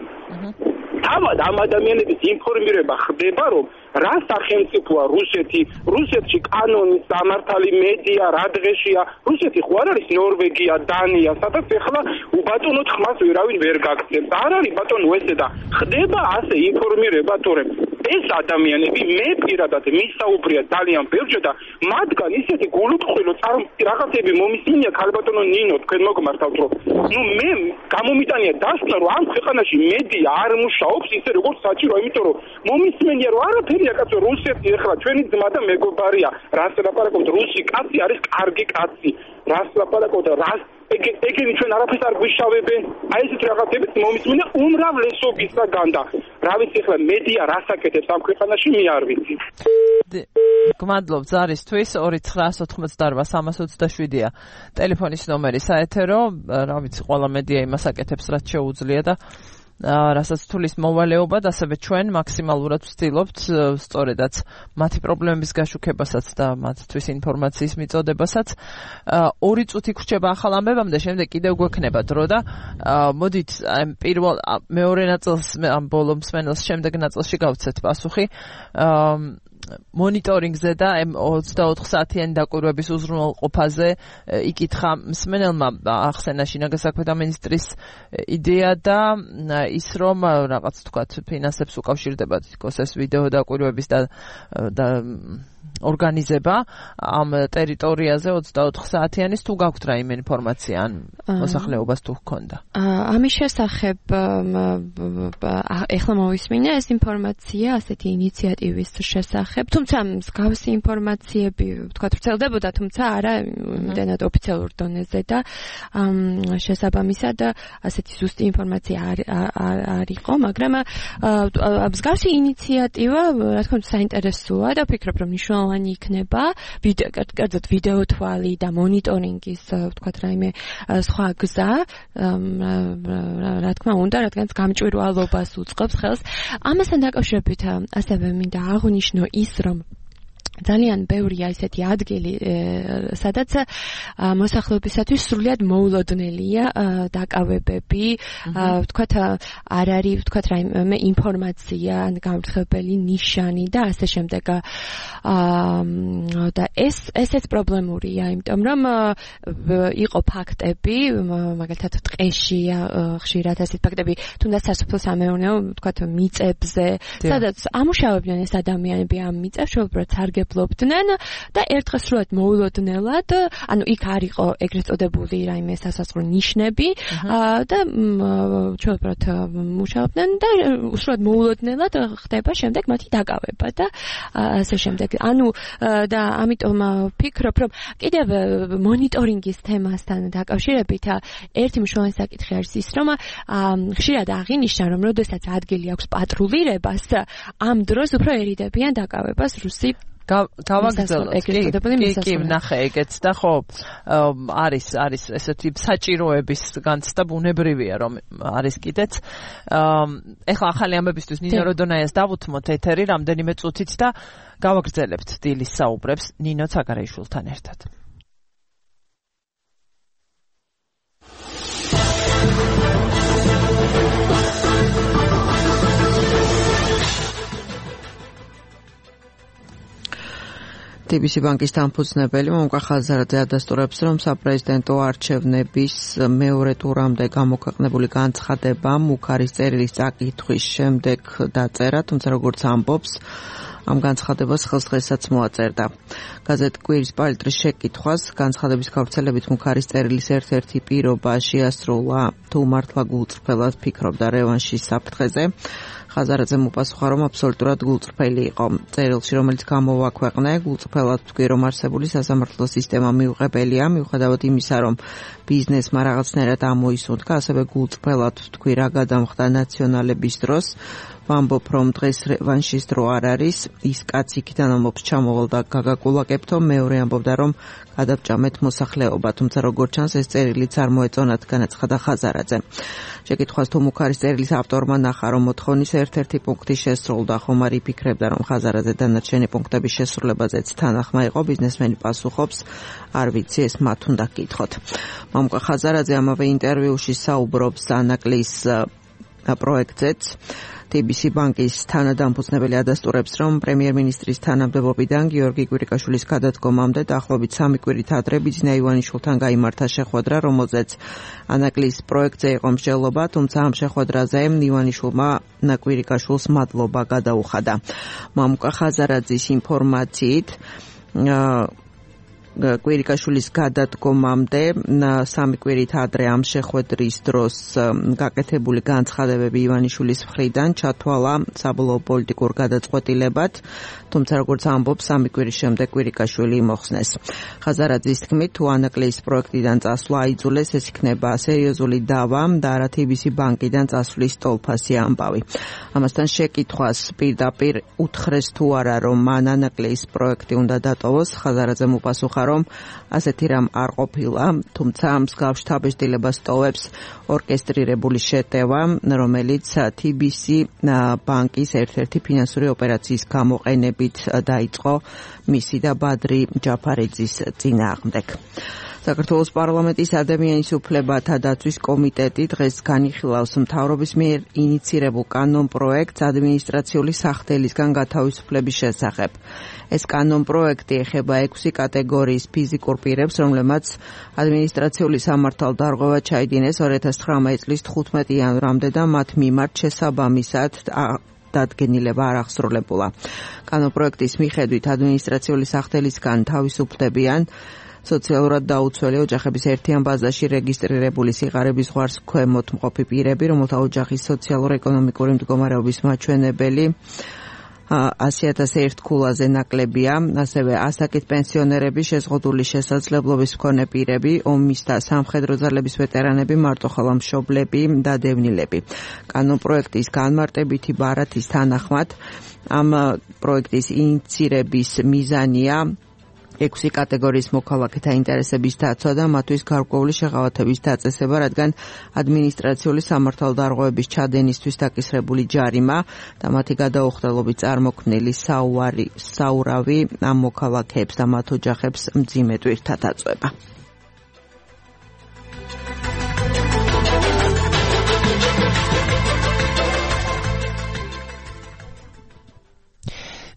თავად ამ ადამიანების ინფორმირება ხდება, რომ რა სახელმწიფოა რუსეთი, რუსეთში კანონი, სამართალი, მედია, რა დღეშია, რუსეთი ხო არ არის ნორვეგია, დანია, სადაც ეხლა უბატონოთ ხმას ვერავინ ვერ გაგცემს. არ არის ბატონო ესე და ხდება ასე ინფორმირება, თორემ ეს ადამიანები მე პირადად მისაუბრია ძალიან ბევრჯერ და მათგან ისეთი გულუბრყვილო რაღაცები მომისმინია ქალბატონო ნინო, თქვენ მოგმართავთ რომ ნუ მე გამომიტანია დასკვნა რომ ამ ქვეყანაში მედია არ მუშაობს ისე როგორც საჭიროა, იმიტომ რომ მომისმენია რომ არაფერია კაცო, რუსეთი ეხლა ჩვენი ძმა და მეგობარია, რას ლაპარაკობთ, რუსი კაცი არის კარგი კაცი, რას ლაპარაკობთ, რას ეგენი ჩვენ არაფერს არ გვიშავებენ. აი ესეთ რაღაცებით მომისმენია უმრავლესობისაგან და რა ვიცი ეხლა მედია რას აკეთებს ამ ქვეყანაში მე არ ვიცი. გმადლობ ზარისთვის. 2988327-ია ტელეფონის ნომერი საეთერო, რა ვიცი ყველა მედია იმას აკეთებს რაც შეუძლია და რასაც თulis მოვალეობად, ასევე ჩვენ მაქსიმალურად ვცდილობთ სწორედაც მათი პრობლემების გაშუქებასაც და მათთვის ინფორმაციის მიწოდებასაც. 2 წუთი გვრჩება ახალ ამბებამდე, შემდეგ კიდევ გვექნება დრო და მოდით პირველ მეორე ნაწილს ამ ბოლო მსმენელს შემდეგ ნაწილში გავცეთ პასუხი. მონიტორინგზე და 24 საათიანი დაკვირვების უზრუნველყოფაზე იკითხა მსმენელმა ახსენა შინაგან საქმეთა მინისტრის იდეა და ის რომ რაღაც თქვათ ფინანსებს უკავშირდება თითქოს ეს ვიდეო დაკვირვების და ორგანიზება ამ ტერიტორიაზე 24 საათიანის თუ გაქვთ რაიმე ინფორმაცია ან მოსახლეობას თუ ჰქონდა? ამის შესახებ ეხლა მოვისმინე ეს ინფორმაცია ასეთი ინიციატივის შესახებ, თუმცა მსგავსი ინფორმაციები თქვა ვრცელდებოდა, თუმცა არა იმდენად ოფიციალურ დონეზე და შესაბამისად ასეთი ზუსტი ინფორმაცია არ იყო, მაგრამ მსგავსი ინიციატივა რა თქმა უნდა საინტერესოა და ვფიქრობ რომ მნიშვნელოვანი იქნება კერძოდ ვიდეო თვალი და მონიტორინგის ვთქვათ რაიმე სხვა გზა რა თქმა უნდა რადგან გამჭვირვალობას უწყობს ხელს ამასთან დაკავშირებით ასევე მინდა აღვნიშნო ის რომ ძალიან ბევრია ესეთი ადგილი, სადაც მოსახლეობისათვის სრულიად მოულოდნელია დაკავებები, ვთქვათ არ არის ვთქვათ რაიმე ინფორმაცია, გამრთხვეველი ნიშანი და ასე შემდეგ. და ესეც პრობლემურია, იმიტომ რომ იყო ფაქტები, მაგალითად ტყეში ხშირად ასეთ ფაქტები, თუნდაც სასოფლო-სამეურნეო ვთქვათ მიწებზე, სადაც ამუშავებდნენ ეს ადამიანები ამ მიწებს, უბრალოდ სარგებლობდნენ და ერთხელ სრულად მოულოდნელად, ანუ იქ არ იყო ეგრეთ წოდებული რაიმე სასაზღვრო ნიშნები და უბრალოდ მუშაობდნენ და სრულად მოულოდნელად ხდება შემდეგ მათი დაკავება და ასე შემდეგ. ანუ და ამიტომ ვფიქრობ, რომ კიდევ მონიტორინგის თემასთან დაკავშირებით ერთი მნიშვნელოვანი საკითხი არის ის, რომ ხშირად აღინიშნა, რომ როდესაც ადგილი აქვს პატრულირებას, ამ დროს უფრო ერიდებიან დაკავებას რუსი გავაგრძელოთ. კი, ნახე ეგეც და ხო არის ესეთი საჭიროების განცდა ბუნებრივია რომ არის კიდეც. ეხლა ახალი ამბებისთვის ნინო როდონაიას დავუთმოთ ეთერი რამდენიმე წუთით და გავაგრძელებთ დილის საუბრებს ნინო ცაგარეიშვილთან ერთად. TBC ბანკის დამფუძნებელი მომკა ხაზარაძე ადასტურებს, რომ საპრეზიდენტო არჩევნების მეორე ტურამდე გამოქვეყნებული განცხადება მუქარის წერილის წაკითხვის შემდეგ დაწერა, თუმცა როგორც ამბობს, ამ განცხადებას ხელსდღესაც მოაწერდა. გაზეთ კვირის პალიტრის შეკითხვას განცხადების გავრცელებით მუქარის წერილის ერთ-ერთი პირობა შეასრულა თუ მართლა გულწრფელად ფიქრობდა რევანშის საფრთხეზე. ხაზარაძემ უპასუხა, რომ აბსოლუტურად გულწრფელი იყო. წერილში, რომელიც გამოვაქვეყნე, გულწრფელად ვთქვი, რომ არსებული სასამართლო სისტემა მიუღებელია, მიუხედავად იმისა, რომ ბიზნესმა რაღაცნაირად ამოისუნთქა, ასევე გულწრფელად ვთქვი, რა გადამხდა ნაციონალების დროს. ვამბობ, რომ დღეს რევანშის დრო არ არის, ის კაცი იქიდან ამბობს ჩამოვალ და გაგაკულაკებთო, მეორე ამბობდა, რომ გადავჭამეთ მოსახლეობა, თუმცა როგორც ჩანს, ეს წერილიც არ მოეწონათ, განაცხადა ხაზარაძე. შეკითხვას თუ მუქარის წერილის ავტორმა ნახა, რომ მოთხოვნის ერთ-ერთი პუნქტი შესრულდა, ხომ არ იფიქრებდა, რომ ხაზარაძე დანარჩენი პუნქტების შესრულებაზეც თანახმა იყო, ბიზნესმენი პასუხობს, არ ვიცი, ეს მათ უნდა გკითხოთ. მომკა ხაზარაძე ამავე ინტერვიუში საუბრობს ანაკლის პროექტზეც. TBC ბანკის თანადამფუძნებელი ადასტურებს, რომ პრემიერ-მინისტრის თანამდებობიდან გიორგი კვირიკაშვილის გადადგომამდე დაახლოებით 3 კვირით ადრე ბიძინა ივანიშვილთან გაიმართა შეხვედრა, რომელზეც ანაკლის პროექტზე იყო მსჯელობა, თუმცა ამ შეხვედრაზე ივანიშვილმა კვირიკაშვილს მადლობა გადაუხადა. მამუკა ხაზარაძის ინფორმაციით კვირიკაშვილის გადადგომამდე 3 კვირით ადრე ამ შეხვედრის დროს გაკეთებული განცხადებები ივანიშვილის მხრიდან ჩათვალა საბოლოო პოლიტიკურ გადაწყვეტილებად, თუმცა როგორც ამბობს 3 კვირის შემდეგ კვირიკაშვილი მოხსნეს. ხაზარაძის თქმით, თუ ანაკლის პროექტიდან წასვლა აიძულეს, ეს იქნება სერიოზული დავა და არა TBC ბანკიდან წასვლის ტოლფასი ამბავი. ამასთან შეკითხვას პირდაპირ უთხრეს თუ არა, რომ მან ანაკლის პროექტი უნდა დატოვოს, ხაზარაძემ უპასუხა, რომ ასეთი რამ არ ყოფილა, თუმცა მსგავს შთაბეჭდილებას ტოვებს ორკესტრირებული შეტევა, რომელიც TBC ბანკის ერთ-ერთი ფინანსური ოპერაციის გამოყენებით დაიწყო მისი და ბადრი ჯაფარიძის წინააღმდეგ. საქართველოს პარლამენტის ადამიანის უფლებათა დაცვის კომიტეტი დღეს განიხილავს მთავრობის მიერ ინიცირებულ კანონპროექტს ადმინისტრაციული სახდელისგან გათავისუფლების შესახებ. ეს კანონპროექტი ეხება 6 კატეგორიის ფიზიკურ პირებს, რომლებმაც ადმინისტრაციული სამართალდარღვევა ჩაიდინეს 2019 წლის 15 იანვრამდე და მათ მიმართ შესაბამისად დადგენილება არ აღსრულებულა. კანონპროექტის მიხედვით ადმინისტრაციული სახელისგან თავისუფლებიან სოციალურად დაუცველი ოჯახების ერთიან ბაზაში რეგისტრირებული სიღარიბის ზღვარს ქვემოთ მყოფი პირები, რომელთა ოჯახის სოციალურ-ეკონომიკური მდგომარეობის მაჩვენებელი 100,001 ქულაზე ნაკლებია, ასევე ასაკით პენსიონერები, შეზღუდული შესაძლებლობის მქონე პირები, ომის და სამხედრო ძალების ვეტერანები, მარტოხელა მშობლები და დევნილები. კანონპროექტის განმარტებითი ბარათის თანახმად ამ პროექტის ინიცირების მიზანია 6 კატეგორიის მოქალაქეთა ინტერესების დაცვა და მათთვის გარკვეული შეღავათების დაწესება, რადგან ადმინისტრაციული სამართალდარღვევების ჩადენისთვის დაკისრებული ჯარიმა და მათი გადაუხდელობით წარმოქმნილი საურავი ამ მოქალაქეებს და მათ ოჯახებს მძიმე ტვირთად აწვება.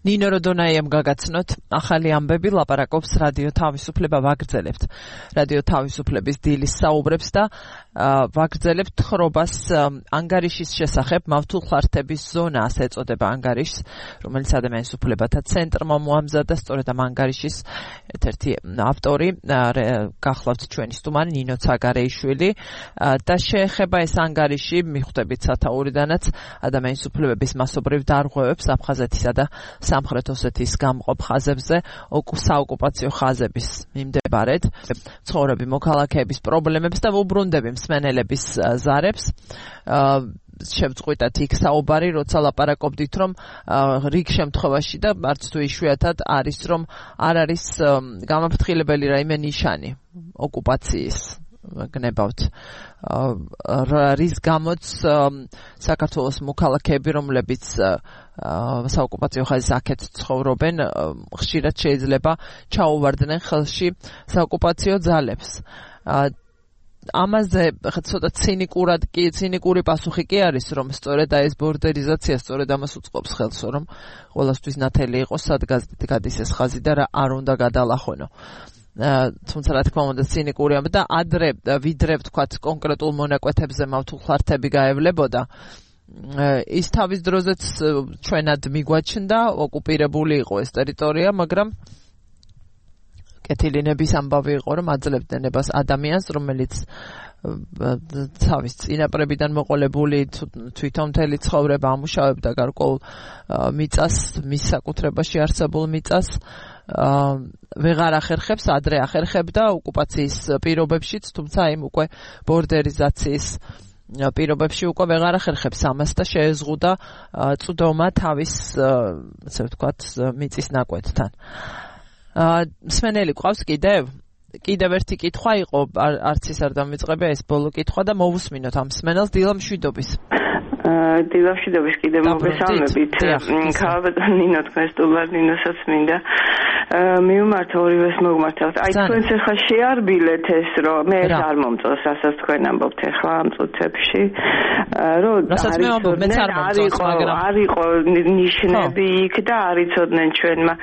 ნინო როდონაიამ გაგაცნოთ ახალი ამბები ლაპარაკობს რადიო თავისუფლება ვაგრძელებთ. რადიო თავისუფლების დილის საუბრებს და ვაგრძელებთ თხრობას ანგარიშის შესახებ მავთულხლართების ზონას ეწოდება ანგარიშს, რომელიც ადამიანის უფლებათა ცენტრმა მოამზადა. სწორედ ამ ანგარიშის ერთ-ერთი ავტორი გახლავთ ჩვენი სტუმარი ნინო ცაგარეიშვილი და შეეხება ეს ანგარიში მიხვდებით სათაურიდანაც ადამიანის უფლებების მასობრივ დარღვევებს აფხაზეთისა და სამხრეთ ოსეთის გამყოფ ხაზებზე საოკუპაციო ხაზების მიმდებარედ ცხოვრები მოქალაქეების პრობლემებს და უბრუნდები მსმენელების ზარებს. შევწყვიტათ იქ საუბარი, როცა ლაპარაკობდით, რომ რიგ შემთხვევაში და არც თუ იშვიათად არის, რომ არ არის გამაფრთხილებელი რაიმე ნიშანი ოკუპაციის გნებავთ, რის გამოც საქართველოს მოქალაქეები, რომლებიც საოკუპაციო ხაზის აქეთ ცხოვრობენ, ხშირად შეიძლება ჩაუვარდნენ ხელში საოკუპაციო ძალებს. ამაზე ცოტა ცინიკური პასუხი კი არის, რომ სწორედ ეს ბორდერიზაცია სწორედ ამას უწყობს ხელს, რომ ყველასთვის ნათელი იყოს სადგაზით გადის ეს ხაზი და რა არ უნდა გადალახვენო. თუმცა რა თქმა უნდა ცინიკურია და ადრე ვიდრე ვთქვათ კონკრეტულ მონაკვეთებზე მავთულხლართები გაევლებოდა, ის თავის დროზეც ჩვენად მიგვაჩნდა, ოკუპირებული იყო ეს ტერიტორია, მაგრამ კეთილინების ამბავი იყო, რომ აძლევდნენ ნებას ადამიანს, რომელიც თავის წინაპრებიდან მოყოლებული თვითონ მთელი ცხოვრება ამუშავებდა გარკვეულ მიწას, მის საკუთრებაში არსებულ მიწას, ვეღარ ახერხებს, ადრე ახერხებდა ოკუპაციის პირობებშიც, თუმცა იმ უკვე ბორდერიზაციის პირობებში უკვე ვეღარ ახერხებს ამას და შეეზღუდა წვდომა თავის, ასე ვთქვათ, მიწის ნაკვეთთან. მსმენელი ყავს კიდევ ერთი კითხვა იყო, არც ის არ დამიწყებია ეს ბოლო კითხვა და მოვუსმინოთ ამ მსმენელს დილა მშვიდობის. დილა მშვიდობის კიდევ მოგესალმებით. ქალბატონ ნინო თქვენ სტუმარ ნინოსაც მინდა მიმართა ორივეს მოგმართავთ. აი თქვენს ახლა შეარბილეთ ეს, რომ მე არ მომწონს, რასაც თქვენ ამბობთ ახლა ამ წუთებში, რომ არ იყო ნიშნები იქ და არ იცოდნენ ჩვენმა,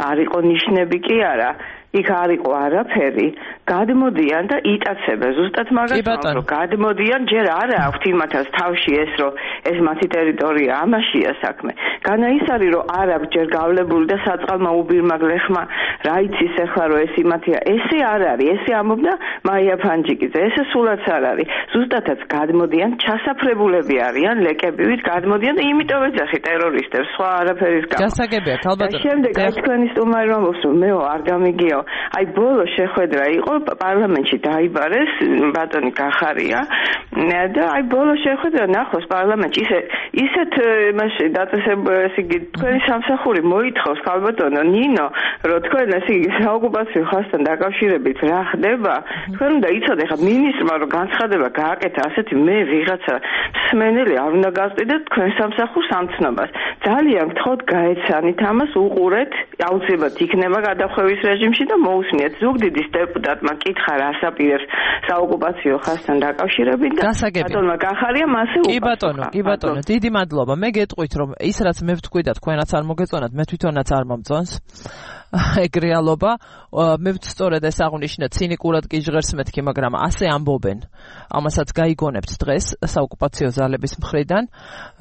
არ იყო ნიშნები კი არა. იქ არ იყო არაფერი, გადმოდიან და იტაცებენ ზუსტად მაგას, რომ გადმოდიან, ჯერ არ აქვთ იმათაც თავში ეს, რომ ეს მათი ტერიტორია, ამაშია საქმე. განა ის არის, რომ არ აქვს ჯერ გავლებული და საწყალმა უბირმა გლეხმა რა იცის ახლა, რომ ეს იმათია, ესე არ არის, ესე ამბობდა მაია ფანჯიკიძე, ესე სულაც არ არის. ზუსტადაც გადმოდიან, ჩასაფრებულები არიან, ლეკებივით გადმოდიან და იმიტომ ეძახი ტერორისტებს, სხვა არაფერის გამო. გასაგებია, ქალბატონო. შემდეგ აი თქვენი სტუმარი ამბობს, რომ მეო არ გამიგია. აი ბოლო შეხვედრა იყო პარლამენტში დაიბარეს ბატონი გახარია და აი ბოლო შეხვედრა ნახოს პარლამენტში ისეთ მასე დაწესებულის იგი თქვენი სამსახური მოითხოვს ქალბატონო ნინო რომ თქვენ ესე იგი საოკუპაციო ხაზთან დაკავშირებით რა ხდება თქვენ უნდა იცოდე ხა მინისტრმა რომ განცხადება გააკეთა ასეთი მე ვიღაცა მსმენელი არ უნდა გასწიდეთ თქვენ სამსახურს ამ ცნობას ძალიან გთხოვთ გაეცანით ამას უყურეთ აუცილებლად იქნება გადახვევის რეჟიმში და მოусმინეთ. ზუგდიდის დეპუტატმა კითხა რასაპირებს საოკუპაციო ხაზთან დაკავშირებით და ბატონმა გახარია მასე კი ბატონო, დიდი მადლობა. მე გეტყვით რომ ის რაც მე ვთქვი და თქვენაც არ მოგეწონათ, მე თვითონაც არ მომწონს. ეგ რეალობა, მე სწორედ ეს აღნიშნეთ, ცინიკურად კი ჟღერს მეთქი, მაგრამ ასე ამბობენ. ამასაც გაიგონებთ დღეს საოკუპაციო ძალების მხრიდან,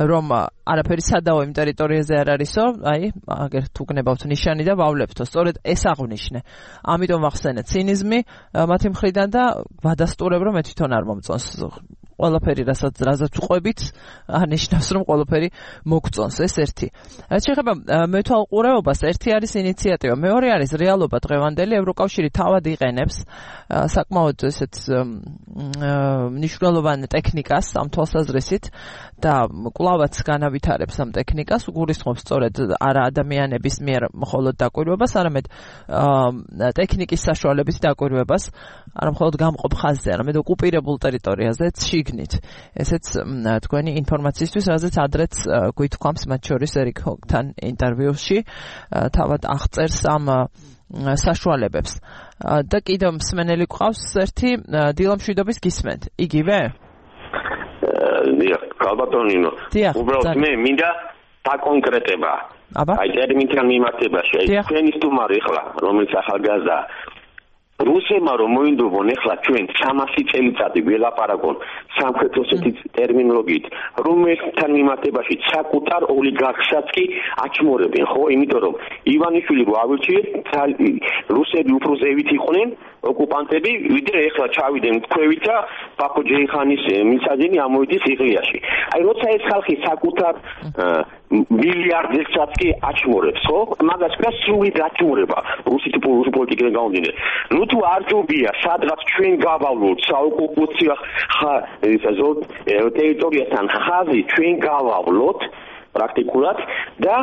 რომ არაფერი სადაო იმ ტერიტორიაზე არ არისო, აი, აგერ თუ გნებავთ ნიშანი და ვავლებთო, სწორედ ეს აღნიშნე. ამიტომ ახსენეთ ცინიზმი მათი მხრიდან და ვადასტურებ, რომ მე თვითონ არ მომწონს. ყველაფერი რასაც ვყვებით, ანიშნავს რომ ყველაფერი მოგწონს, ეს ერთი. შეხება მეთვალყურეობას, ერთი არის ინიციატივა, მეორე არის რეალობა დღევანდელი, ევროკავშირი თავად იყენებს საკმაოდ ესეთ მნიშვნელოვან ტექნიკას ამ თვალსაზრისით და კვლავაც განავითარებს ამ ტექნიკას, უგულისხმობს სწორედ არა ადამიანების მიერ მხოლოდ დაკვირვებას, არამედ ტექნიკის საშუალებით დაკვირვებას, არა მხოლოდ გამყოფ ხაზზე, არამედ ოკუპირებულ ტერიტორიაზეც შიგნით. ესეც თქვენი ინფორმაციისთვის, რაზეც ადრეც გვითქვამს მათ შორის ერიკთან ინტერვიუში, თავად აღწერს ამ საშუალებებს. და კიდევ მსმენელი გვყავს ერთი დილამშვიდობის გისმენთ. იგივე? დიახ, კალბატონინო. უბრალოდ მე მინდა დაკონკრეტება. აი ტერმინთან მიმართებაში, აი თქვენი სტუმარი ხლა, რომელიც ახალგაზრდა რუსებმა რომ მოინდობონ ეხლა ჩვენ 300 წელიწადი ველაპარაკონ სამხრეთ ოსეთის ტერმინოლოგიით, რომელთან მიმართებაში საკუთარ ოლიგარქსაც კი აჩმორებენ, ხო? იმიტომ რომ ივანიშვილი რო ავირჩიეთ, რუსები უფრო ზევით იყვნენ ოკუპანტები, ვიდრე ეხლა ჩავიდნენ თქვევით და ბაქო ჯეიხანის მისაძენი ამოიდის სიღრიაში. აი როცა ეს ხალხი საკუთარ მილიარდერსაც კი აჩმორებს, ხო? მაგას კი სრული დაჩმორება რუსი პოლიტიკიდან გამომდინარე. ნუ თუ არ ჯობია სადღაც ჩვენ გავავლოთ საოკუპაციო ტერიტორიასთან ხაზი, ჩვენ გავავლოთ პრაქტიკულად და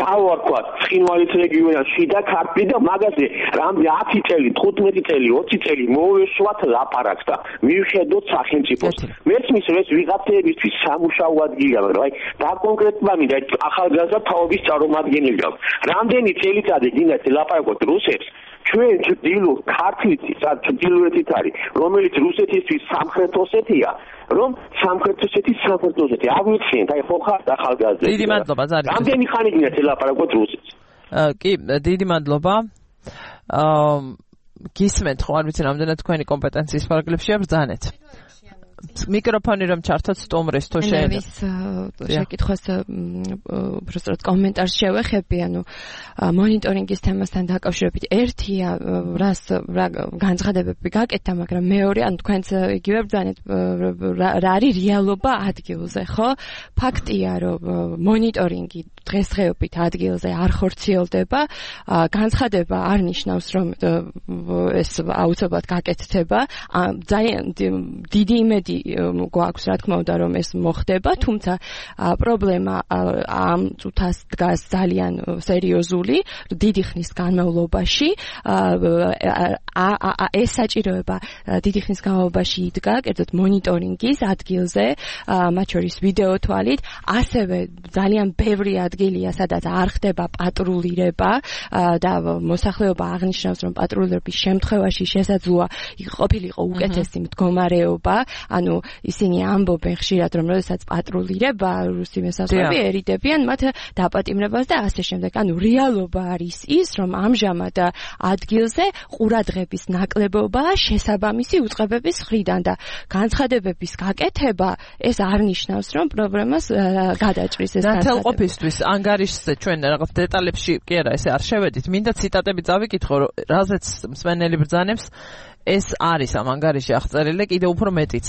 დავარქვათ ცხინვალის რეგიონში და ქართლი და მაგაზე რამდენი 10 წელი, 15 წელი, 20 წელი მოვეშვათ ლაპარაკს და მივხედოთ სახელმწიფოს. მესმის ეს ვიღაცებისთვის სამუშაო ადგილია, მაგრამ აი დაკონკრეტება მინდა ახალგაზრდა თაობის წარმომადგენელებს. რამდენი წელიწადი გინდათ ლაპარაკოთ რუსებს? ჩვენ ჭდილო ქართლით, ჭდილოეთით არის, რომელიც რუსეთისთვის სამხრეთ ოსეთია, რომ სამხრეთ ოსეთი აღვიხსენთ, აი ხო ხარ ახალგაზრდა. დიდი მადლობა, ზარი. რამდენი ხანი გინდათ ლაპარაკოთ რუსეთს? კი, დიდი მადლობა. გისმენთ, ხო არ ვიცი რამდენად თქვენი კომპეტენციის პარაგრაფშია ბრძანეთ. მიკროფონი რომ ჩართოთ სტუმრის თუ შეიძლება შეკითხვას უბრალოდ კომენტარს შევეხები, ანუ მონიტორინგის თემასთან დაკავშირებით ერთია რა განცხადებები გაკეთდა, მაგრამ მეორე ანუ თქვენც იგივე ბრძანეთ რა არის რეალობა ადგილზე, ხო? ფაქტია რომ მონიტორინგი დღესდღეობით ადგილზე არ ხორციელდება, განცხადება არ ნიშნავს რომ ეს აუცილებლად გაკეთდება, ძალიან დიდი იმედი გვაქვს რა თქმა უნდა რომ ეს მოხდება, თუმცა პრობლემა ამ წუთას დგას ძალიან სერიოზული დიდი ხნის განმავლობაში. ეს საჭიროება დიდი ხნის განმავლობაში იდგა კერძოდ მონიტორინგის ადგილზე, მათ შორის ვიდეო თვალით, ასევე ძალიან ბევრი ადგილია სადაც არ ხდება პატრულირება და მოსახლეობა აღნიშნავს რომ პატრულირების შემთხვევაში შესაძლოა ყოფილიყო უკეთესი მდგომარეობა, ანუ ისინი ამბობენ ხშირად რომ როდესაც პატრულირება რუსი მოსახლეები ერიდებიან მათ დაპატიმრებას და ასე შემდეგ. ანუ რეალობა არის ის რომ ამჟამად ადგილზე ყურადღების ნაკლებობა შესაბამისი უწყებების მხრიდან და განცხადებების გაკეთება ეს არ ნიშნავს რომ პრობლემას გადაჭრის ეს განცხადება. ნათელყოფისთვის ანგარიშზე ჩვენ რაღაც დეტალებში კი არა ესე არ შევედით. მინდა ციტატები წავიკითხო, რაზეც მსმენელი ბრძანებს ეს არის ამ ანგარიში აღწერილი კიდევ უფრო მეტიც.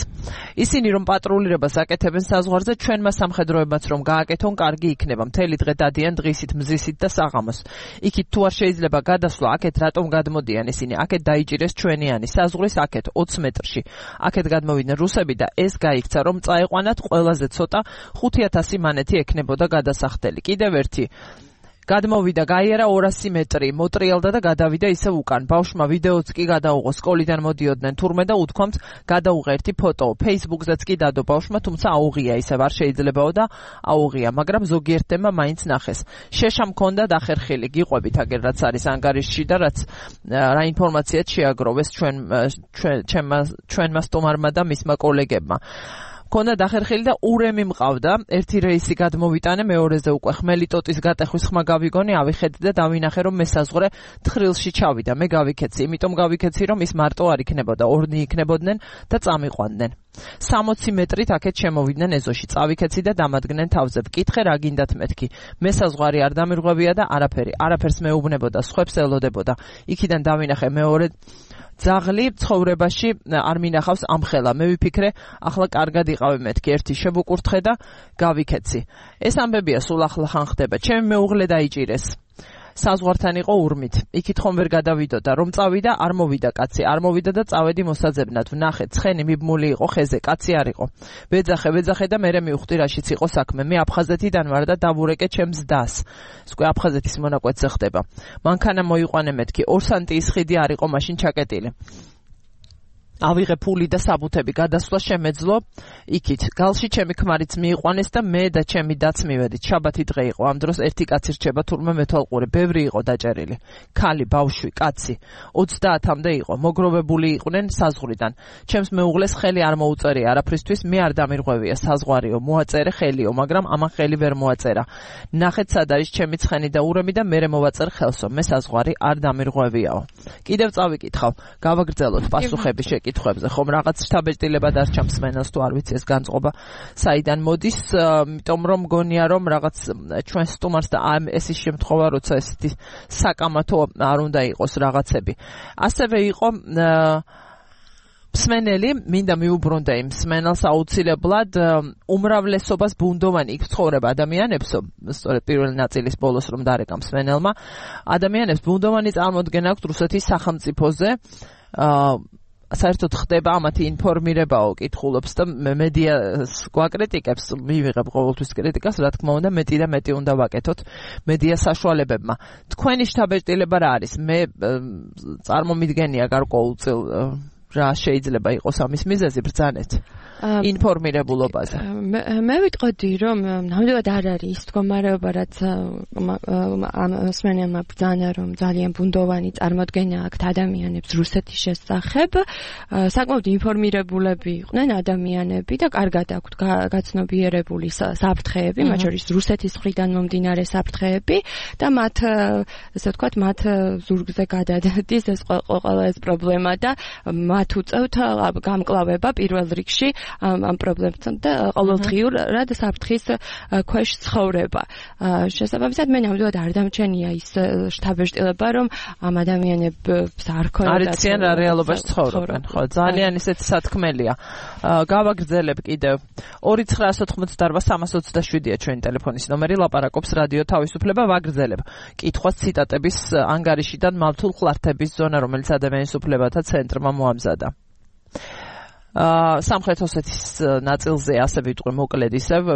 ისინი რომ პატრულირებას აკეთებენ საზღვარზე, ჩვენმა სამხედროებმაც რომ გააკეთონ, კარგი იქნება. მთელი დღე დადიან დღისით, მზისით და საღამოს. იქით თუ არ შეიძლება გადასვლა, აქეთ რატომ გადმოდიან ისინი? აქეთ დაიჭირეს ჩვენიანი საზღვრის აქეთ 20 მეტრში. აქეთ გადმოვიდნენ რუსები და ეს გაიქცა რომ წაეყვანათ ყველაზე ცოტა 5000 მანეთი ექნებოდა გადასახდელი. კიდევ ერთი გადმოვიდა, გაიარა 200 მეტრი, მოტრიალდა და გადავიდა ისევ უკან. ბავშვმა ვიდეოც კი გადაუღო, სკოლიდან მოდიოდნენ თურმე და უთქვამთ გადაუღე ერთი ფოტო. Facebook-ზეც კი დადო ბავშვმა, თუმცა აუღია, ისევ არ შეიძლებაო და აუღია, მაგრამ ზოგიერთმა მაინც ნახეს. შეშა მქონდა დახერხილი, გიყვებით აგერ რაც არის ანგარიშში და რაც რა ინფორმაციაც შეაგროვეს ჩვენმა სტუმარმა და მისმა კოლეგებმა. ქონდა დახერხილი და ურემი მყავდა, ერთი რეისი გადმოვიტანე, მეორეზე უკვე ხმელი ტოტის გატეხვის ხმა გავიგონი, ავიხედი და დავინახე რომ მესაზღვრე თხრილში ჩავიდა. მე გავიქეცი, იმიტომ გავიქეცი რომ ის მარტო არ იქნებოდა, ორნი იქნებოდნენ და წამიყვანდნენ. 60 მეტრით აქეთ შემოვიდნენ ეზოში, წავიქეცი და დამადგნენ თავზე. ვკითხე რა გინდათ მეთქი. მესაზღვარი არ დამირღვევია და არაფერს მეუბნებოდა, სხვებს ელოდებოდა. იქიდან დავინახე მეორე ძაღლი ცხოვრებაში არ მინახავს ამხელა. მე ვიფიქრე, ახლა კარგად იყავი მეთქი, ერთი შევუკურთხე და გავიქეცი. ეს ამბებია სულ ახლა ხან ხდება. ჩემი მეუღლე დაიჭირეს. საზღვართან იყო ურმით. იქით ხომ ვერ გადავიდოდა, რომ წავიდა, არ მოვიდა კაცი, არ მოვიდა და წავედი მოსაძებნად. ვნახე, ცხენი მიბმული იყო ხეზე, კაცი არ იყო. ვეძახე და მერე მივხვდი რაშიც იყო საქმე. მე აფხაზეთიდან ვარ და დავურეკე ჩემს დას. სკვე აფხაზეთის მონაკვეთზე ხდება. მანქანა მოიყვანე მეთქი, 2 სანტიის ხიდი არ იყო მაშინ ჩაკეტილი. ავიღე ფული და საბუთები, გადასვლა შემეძლო იქით. გალში ჩემი ქმარიც მიიყვანეს და მე და ჩემი დაც მივედით. შაბათი დღე იყო. ამ დროს ერთი კაცი რჩება თურმე მეთვალყური. ბევრი იყო დაჭერილი. ქალი, ბავშვი, კაცი. 30-მდე იყო. მოგროვებული იყვნენ საზღვრიდან. ჩემს მეუღლეს ხელი არ მოუწერია არაფრისთვის, მე არ დამირღვევია საზღვარიო. მოაწერე ხელიო, მაგრამ ამან ხელი ვერ მოაწერა. ნახეთ სად არის ჩემი ცხენი და ურემი და მერე მოვაწერ ხელსო. მე საზღვარი არ დამირღვევიაო. კიდევ წავიკითხავ. გავაგრძელოთ პასუხები კითხვებზე, ხომ რაღაც შთაბეჭდილება დარჩა მსმენელს თუ არ ვიცი ეს განწყობა საიდან მოდის, იმიტომ რომ მგონია რომ რაღაც ჩვენ სტუმარს და ეს ის შემთხვევა, როცა ესეთი საკამათო არ უნდა იყოს რაღაცები. ასევე იყო მსმენელი, მინდა მიუბრუნდე იმ მსმენელს აუცილებლად უმრავლესობას ბუნდოვანი იქ ცხოვრება ადამიანებსო, სწორედ პირველი ნაწილის ბოლოს რომ დარეკა მსმენელმა, ადამიანებს ბუნდოვანი წარმოდგენა აქვთ რუსეთის სახელმწიფოზე, საერთოდ ხდება ამათი ინფორმირებაო, კითხულობს და მედიას გვაკრიტიკებს, მივიღებ ყოველთვის კრიტიკას, რა თქმა უნდა, მეტი და მეტი უნდა ვაკეთოთ მედია საშუალებებმა. თქვენი შთაბეჭდილება რა არის? მე წარმომიდგენია გარკვეულწილ რა შეიძლება იყოს ამის მიზეზი ბრძანეთ ინფორმირებულობაზე. მე ვიტყოდი რომ ნამდვილად არ არის ის მდგომარეობა, რაც ამ მსმენელმა ბრძანა, რომ ძალიან ბუნდოვანი წარმოდგენა აქვთ ადამიანებს რუსეთის შესახებ. საკმაოდ ინფორმირებულები იყვნენ ადამიანები და კარგად აქვთ გაცნობიერებული საფრთხეები, მათ შორის რუსეთის მხრიდან მომდინარე საფრთხეები და მათ, ასე ვთქვათ, მათ ზურგზე გადადის ეს ყველა ეს პრობლემა და მათ უწევთ გამკლავება პირველ რიგში ამ პრობლემებთან და ყოველდღიურად საფრთხის ქვეშ ცხოვრება. შესაბამისად, მე ნამდვილად არ დამჩენია ის შთაბეჭდილება, რომ ამ ადამიანებს არ ქონდათ არიციან რა რეალობაში ცხოვრობენ. ხო, ძალიან ისეთი სათქმელია. გავაგრძელებ კიდევ 2988327-ია ჩვენი ტელეფონის ნომერი, ლაპარაკობს რადიო თავისუფლება, ვაგრძელებ. კითხვას ციტატების ანგარიშიდან მავთულ ხლართების ზონა, რომელიც ადამიანის უფლებათა ცენტრმა მოამზადა. სამხრეთ ოსეთის ნაწილზე ასე ვიტყვი მოკლედ ისევ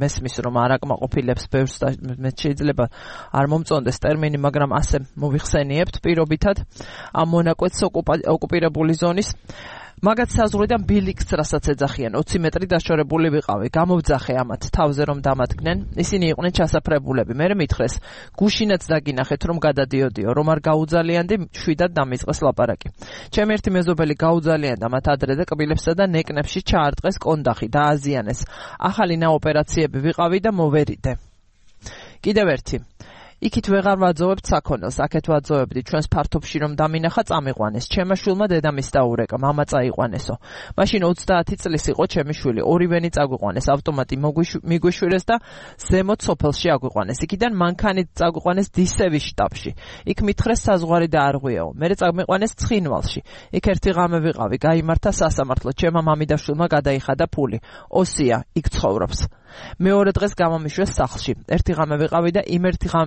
მესმის რომ არაკმაყოფილებს ბევრს და მე შეიძლება არ მომწონდეს ტერმინი, მაგრამ ასე მოვიხსენიებთ პირობითად ამ მონაკვეთს ოკუპირებული ზონის მაგათ საზღვრიდან ბილიქს რასაც ეძახიან 20 მეტრი დაშორებული ვიყავი. გამოვძახე ამათ თავზე რომ დამადგნენ. ისინი იყვნენ ჩასაფრებულები. მე მითხრეს გუშინაც დაგინახეთ რომ გადადიოდიო, რომ არ გაუძალიანდი, შვიდად დამიწყეს ლაპარაკი. ჩემი ერთი მეზობელი გაუძალიანდა მათ ადრე და კბილებსა და ნეკნებში ჩაარტყეს კონდახი, დააზიანეს. ახალი ნაოპერაციები ვიყავი და მოვერიდე. კიდევ ერთი იქით ვეღარ ვაძოვებთ საქონელს, აქეთ ვაძოვებდი ჩვენს ფართობში რომ დამინახა წამიყვანეს. ჩემმა შვილმა დედამის დაურეკა, მამა წაიყვანესო. მაშინ 30 წლის იყო ჩემი შვილი, ორივენი წაგვიყვანეს, ავტომატი მიგვიშვირეს და ზემოთ სოფელში აგვიყვანეს. იქიდან მანქანით წაგვიყვანეს დისევის შტაბში. იქ მითხრეს საზღვარი დაარღვიაო. მერე წამიყვანეს ცხინვალში. იქ ერთი ღამე ვიყავი, გაიმართა სასამართლო. ჩემმა მამიდა შვილმა გადაიხადა ფული. ოსია, იქ ცხოვრობს. მეორე დღეს გამომიშვეს სახლში. ერთი ღამე ვიყავი და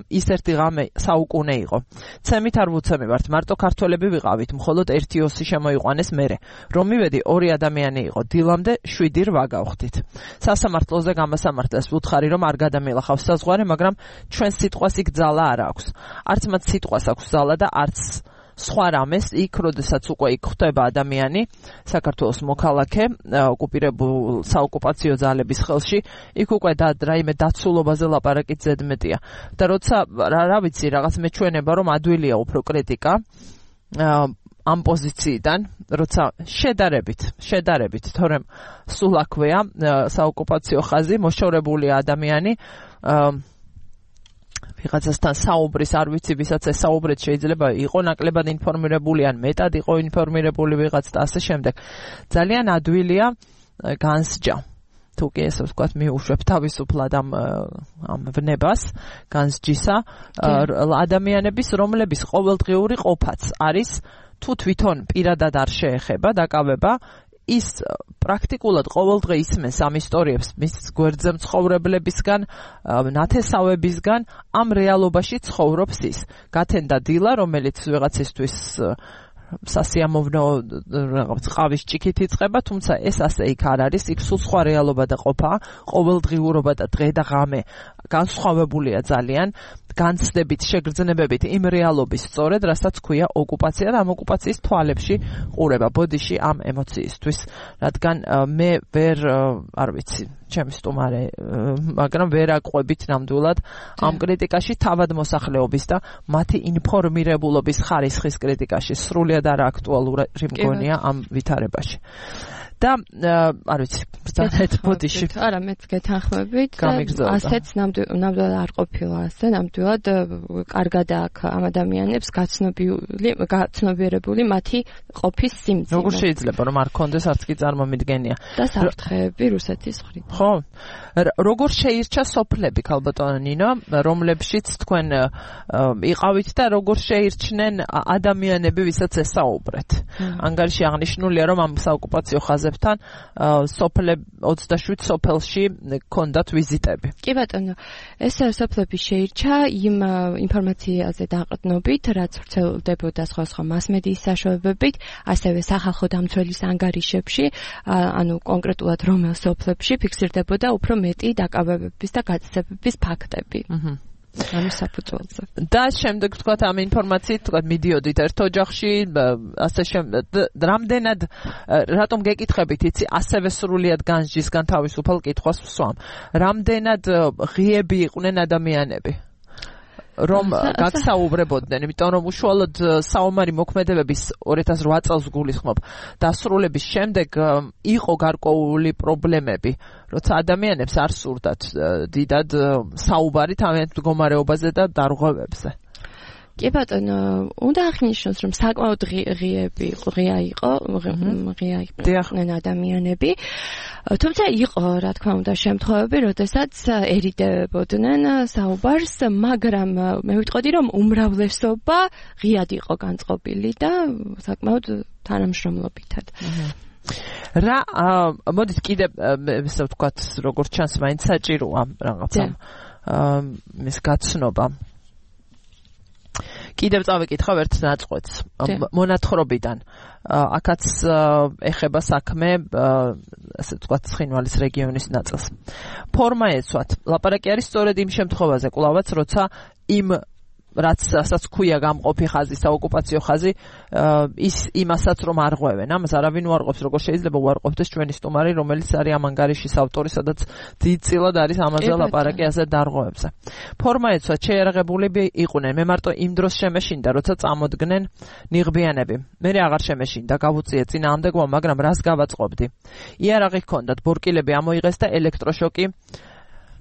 ის ის ერთი ღამე საუკუნე იყო. ცემით არ ვუცემივართ, მარტო ქართველები ვიყავით, მხოლოდ ერთი ოსი შემოიყვანეს მერე. რომ მივედი 2 ადამიანი იყო, დილამდე 7 რვა გავხდით. სასამართლოზე გამასამართლეს ვუთხარი, რომ არ გადამილახავს საზღვარი, მაგრამ ჩვენ სიტყვას იქ ძალა არ აქვს. არც მათ სიტყვას აქვს ძალა და არც სხვა რამეს იქ, როდესაც უკვე იქ ხდება ადამიანი, საქართველოს მოქალაქე, ოკუპირებულ საოკუპაციო ძალების ხელში, იქ უკვე რაიმე დაცულობაზე ლაპარაკით ზედმეტია. და როცა რა ვიცი, რაღაც მეჩვენება, რომ ადვილია უფრო კრიტიკა ამ პოზიციიდან, როცა შედარებით, თორემ სულ აქვეა საოკუპაციო ხაზი, მოშორებულია ადამიანი, ვიღაცასთან საუბრის, არ ვიცი, ვისაც ეს საუბრეთ შეიძლება იყო ნაკლებად ინფორმირებული ან მეტად იყო ინფორმირებული ვიღაც და ასე შემდეგ. ძალიან ადვილია განსჯა. თუ კი ესე ვთქვათ, მიუშვებ თავისუფლად ამ ვნებას, განსჯისა ადამიანების, რომლების ყოველდღიური ყოფაც არის თუ თვითონ პირადად არ შეეხება დაკავება, ის პრაქტიკულად ყოველდღე ისმენს ამ ისტორიებს მის გვერდზე მცხოვრებლებისგან, ნათესავებისგან, ამ რეალობაში ცხოვრობს ის. გათენდა დილა, რომელიც ვიღაცისთვის სასიამოვნო ყავის ჭიქით იწყება, თუმცა ეს ასე იქ არ არის, იქ სულ სხვა რეალობა და ყოფა, ყოველდღიურობა და დღე და ღამე განსხვავებულია ძალიან, განცდებით, შეგრძნებებით იმ რეალობის სწორედ, რასაც ქვია ოკუპაცია და ამ ოკუპაციის თვალებში ყურება, ბოდიში ამ ემოციისთვის, რადგან მე ვერ, არ ვიცი, ჩემი სტუმარე, მაგრამ ვერ აყვებით ნამდვილად ამ კრიტიკაში თავად მოსახლეობის და მათი ინფორმირებულობის ხარისხის კრიტიკაში, სრულიად არ აქტუალური მგონია ამ ვითარებაში. და არ ვიცი, ზოგადად ბოდიში. არა, მეც გეთანხმებით. ასეც ნამდვილად არ ყოფილა ასე, ნამდვილად კარგად აქვს ამ ადამიანებს გაცნობიერებული მათი ყოფის სიმძიმე. როგორ შეიძლება რომ არ კონდეს არც კი წარმომიდგენია. და საფრთხეები რუსეთის მხრიდან. ხო. როგორ შეირჩა სოფლები, ქალბატონო ნინო, რომლებშიც თქვენ იყავით და როგორ შეირჩნენ ადამიანები, ვისაც ესაუბრეთ. ანგარიში აღნიშნულია, რომ ამ საოკუპაციო ხაზებთან 27 სოფელში ჰქონდათ ვიზიტები. კი ბატონო, ეს სოფლები შეირჩა იმ ინფორმაციაზე დაყრდნობით, რაც ვრცელდებოდა სხვა მასმედიის საშუალებებით, ასევე სახალხო დამცველის ანგარიშებში, ანუ კონკრეტულად რომელ სოფლებში ფიქსირდებოდა უფრო მეტი დაკავებების და გაწესებების ფაქტები. ამის საფუძველზე. და შემდეგ ვთქვათ ამ ინფორმაციით ვთქვათ მიდიოდით ერთ ოჯახში, ასე რამდენად რატომ გეკითხებით, იცი, ასევე სრულიად განსჯისგან თავისუფალ კითხვას ვსვამ. რამდენად ღიები იყვნენ ადამიანები? რომ გაგსაუბრებოდნენ, იმიტომ რომ უშუალოდ საომარი მოქმედებების 2008 წელს გულისხმობ დასრულების შემდეგ იყო გარკვეული პრობლემები, როცა ადამიანებს არ სურდათ დიდად საუბარი თავიანთ მდგომარეობაზე და დარღვევებზე. კი ბატონო, უნდა აღნიშნოს, რომ საკმაოდ ღია იყვნენ ადამიანები. თუმცა იყო, რა თქმა უნდა, შემთხვევები, როდესაც ერიდებოდნენ საუბარს, მაგრამ მე ვიტყოდი, რომ უმრავლესობა ღიად იყო განწყობილი და საკმაოდ თანამშრომლობითად. რა, მოდით კიდე ესე ვთქვათ, როგორც ჩანს, მაინც საჭიროა რაღაცა მის გაცნობა. კიდევ წავიკითხავ ერთ ნაწყვეტს მონათხრობიდან. აქაც ეხება საქმე, ასე ვთქვათ, ცხინვალის რეგიონის ნაწილს. ფორმა ეცვათ. ლაპარაკი არის სწორედ იმ შემთხვევაზე, კვლავაც, როცა იმ რასაც ქვია გამყოფი ხაზი, საოკუპაციო ხაზი, ის იმასაც რომ არღვევენ. ამას არავინ უარყოფს, როგორ შეიძლება უარყოფდეს ჩვენი სტუმარი, რომელიც არის ამ ანგარიშის ავტორი, სადაც დიდწილად არის ამაზე ლაპარაკი ასე დარღვევებზე. ფორმა ეცვა, შეიარაღებულები იყვნენ. მე მარტო იმ დროს შემეშინდა, როცა წამოდგნენ ნიღბიანები. მე აღარ შემეშინდა, გავუწიე წინააღმდეგობა, მაგრამ რას გავაწყობდი? იარაღი ჰქონდათ, ბორკილები ამოიღეს და ელექტროშოკი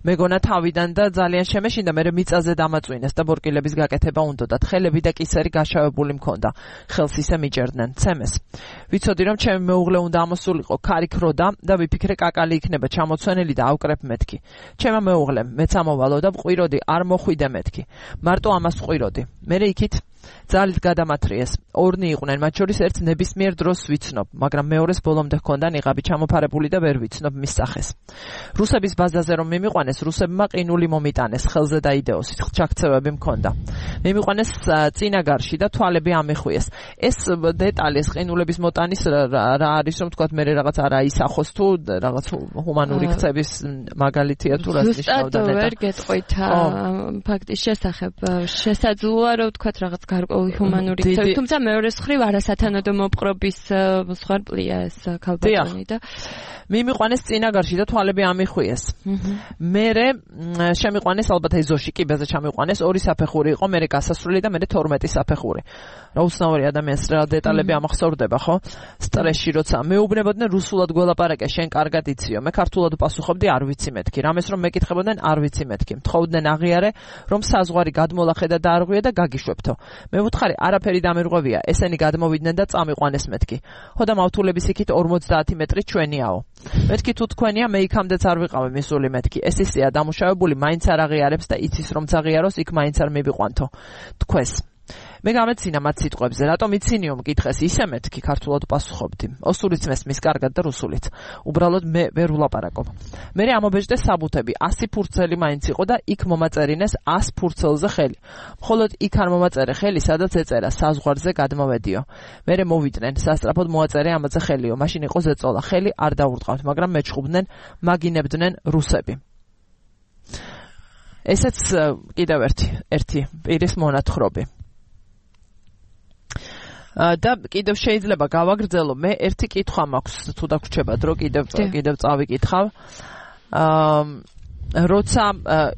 მეგონა თავიდან და ძალიან შემეშინდა, მე მიწაზე დამაწვინეს და ბორკილების გაკეთება უნდათ. ხელები და კისერი გაშავებული მქონდა. ხელს ისე მიჭერდნენ, ცემეს. ვიცოდი, რომ ჩემი მეუღლე უნდა ამოსულიყო ქარიქროდა და ვიფიქრე კაკალი იქნება ჩამოცვენილი და ავკრებ მეთქი. ჩემმა მეუღლემ მეც ამოვალო და ვყვიროდი, არ მოხვიდე მეთქი. მარტო ამას ვყვიროდი. მე იქით ძალით გადამათრიეს. ორნი იყვნენ, მათ შორის ერთს ნებისმიერ დროს ვიცნობ, მაგრამ მეორეს ბოლომდე ჰქონდა ნიღაბი ჩამოფარებული და ვერ ვიცნობ მის სახეს. რუსების ბაზაზე რომ მიმიყვანეს, რუსებმა ყინული მომიტანეს, ხელზე დაიდეოს, ჩაქცევები მქონდა. მიმიყვანეს წინაგარში და თვალები ამიხვიეს. ეს დეტალი, ეს ყინულების მოტანის რა არის, რომ თქვათ მე რაღაც არა ისახოს თუ რაღაც ჰუმანური ქცევის მაგალითია თუ რას ნიშნავდა ნეტა. ვერ გეტყვით ფაქტის შესახებ. შესაძლოა რომ თქვათ რაღაც გარკვეული ჰუმანური ქცევის, თუმცა მეორე მხრივ არასათანადო მოპყრობის მსხვერპლია ეს ქალბატონი და მიმიყვანეს წინაგარში და თვალები ამიხვიეს. მერე შემიყვანეს ალბათ ეზოში კიბეზე ჩამიყვანეს, ორი საფეხური იყო, მერე გასასვლელი და მერე 12 საფეხური. რა უცნაური ადამიანს რა დეტალები ამახსოვრდება, ხო? სტრესში როცა მეუბნებოდნენ რუსულად გველაპარაკე, შენ კარგად იციო. მე ქართულად ვპასუხობდი, არ ვიცი მეთქი. რამეს რომ მეკითხებოდნენ, არ ვიცი მეთქი. მთხოვდნენ აღიარე, რომ საზღვარი გადმოლახე და დაარღვიე და გაგიშვებთო. მე ვუთხარი, არაფერი დამირღვევია, ესენი გადმოვიდნენ და წამიყვანეს მეთქი. ხო და მავთულების იქით 50 მეტრი ჩვენიაო. მეთქი თუ თქვენია, მე იქამდეც არ ვიყავი მისული მეთქი. ეს ისეა დამუშავებული, მაინც არ აღიარებს და იცის რომ წაღიაროს, იქ მაინც არ მივიყვანთო. თქვეს. მე გამეცინა მათ სიტყვებზე, რატომ იცინიო მკითხეს, ისე მეთქი ქართულად პასუხობდი. ოსურიც მესმის კარგად და რუსულიც. უბრალოდ მე ვერ ვლაპარაკობ. მე ამობეჭდე საბუთები, 100 ფურცელი მაინც იყო და იქ მომაწერინეს 100 ფურცელზე ხელი. მხოლოდ იქ არ მომაწერე ხელი, სადაც ეწერა საზღვარზე გადმოვედიო. მე მოვიდნენ, სასტრაფოდ მოაწერე ამაზე ხელიო. მაშინ იყო ზეწოლა, ხელი არ დაურტყავთ, მაგრამ მეჩხუბდნენ, მაგინებდნენ რუსები. ესეც კიდევ ერთი პირის მონათხრობი. და კიდევ შეიძლება გავაგრძელო, მე ერთი კითხვა მაქვს, თუ დაგვრჩება დრო, კიდევ წავიკითხავ. როცა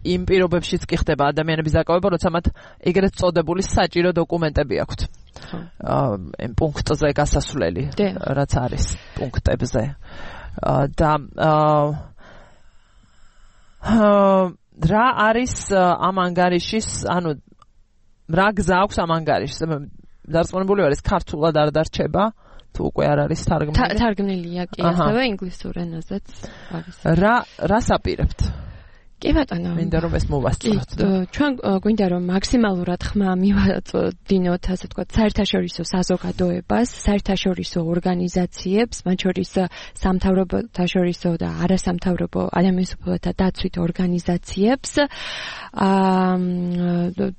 იმ პირობებშიც კი ხდება ადამიანების დაკავება, როცა მათ ეგრეთ წოდებული საჭირო დოკუმენტები აქვთ. იმ პუნქტზე გასასვლელი, რაც არის პუნქტებზე. და რა არის ამ ანგარიშის, ანუ რა გზა აქვს ამ ანგარიშს? დარწმუნებული ვარ, ეს ქართულად არ დარჩება, თუ უკვე არ არის თარგმნილი. თარგმნილია კი, ასევე ინგლისურ ენაზეც არის. რას აპირებთ? კი ბატონო, მინდა რომ ეს მოვასწროთ. ჩვენ გვინდა რომ მაქსიმალურად ხმა მივაწოდინოთ, ასე ვთქვათ, საერთაშორისო საზოგადოებას, საერთაშორისო ორგანიზაციებს, მათ შორის სამთავრობოთაშორისო და არასამთავრობო ადამიანის უფლებათა დაცვით ორგანიზაციებს.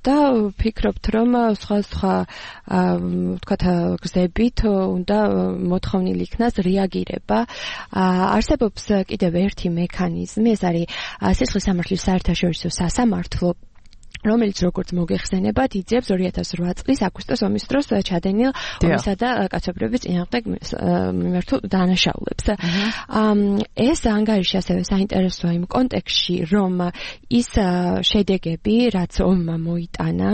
და ვფიქრობთ, რომ სხვა ვთქვათ, გზებით უნდა მოთხოვნილი იქნას რეაგირება. არსებობს კიდევ ერთი მექანიზმი, ეს არის სისხლის სამართლის საერთაშორისო სასამართლო, რომელიც როგორც მოგეხსენებათ, იძიებს 2008 წლის აგვისტოს ომის დროს ჩადენილ ომისა და კაცობრიობის წინააღმდეგ მიმართულ დანაშაულებს. ეს ანგარიში ასევე საინტერესოა იმ კონტექსტში, რომ ის შედეგები, რაც ომმა მოიტანა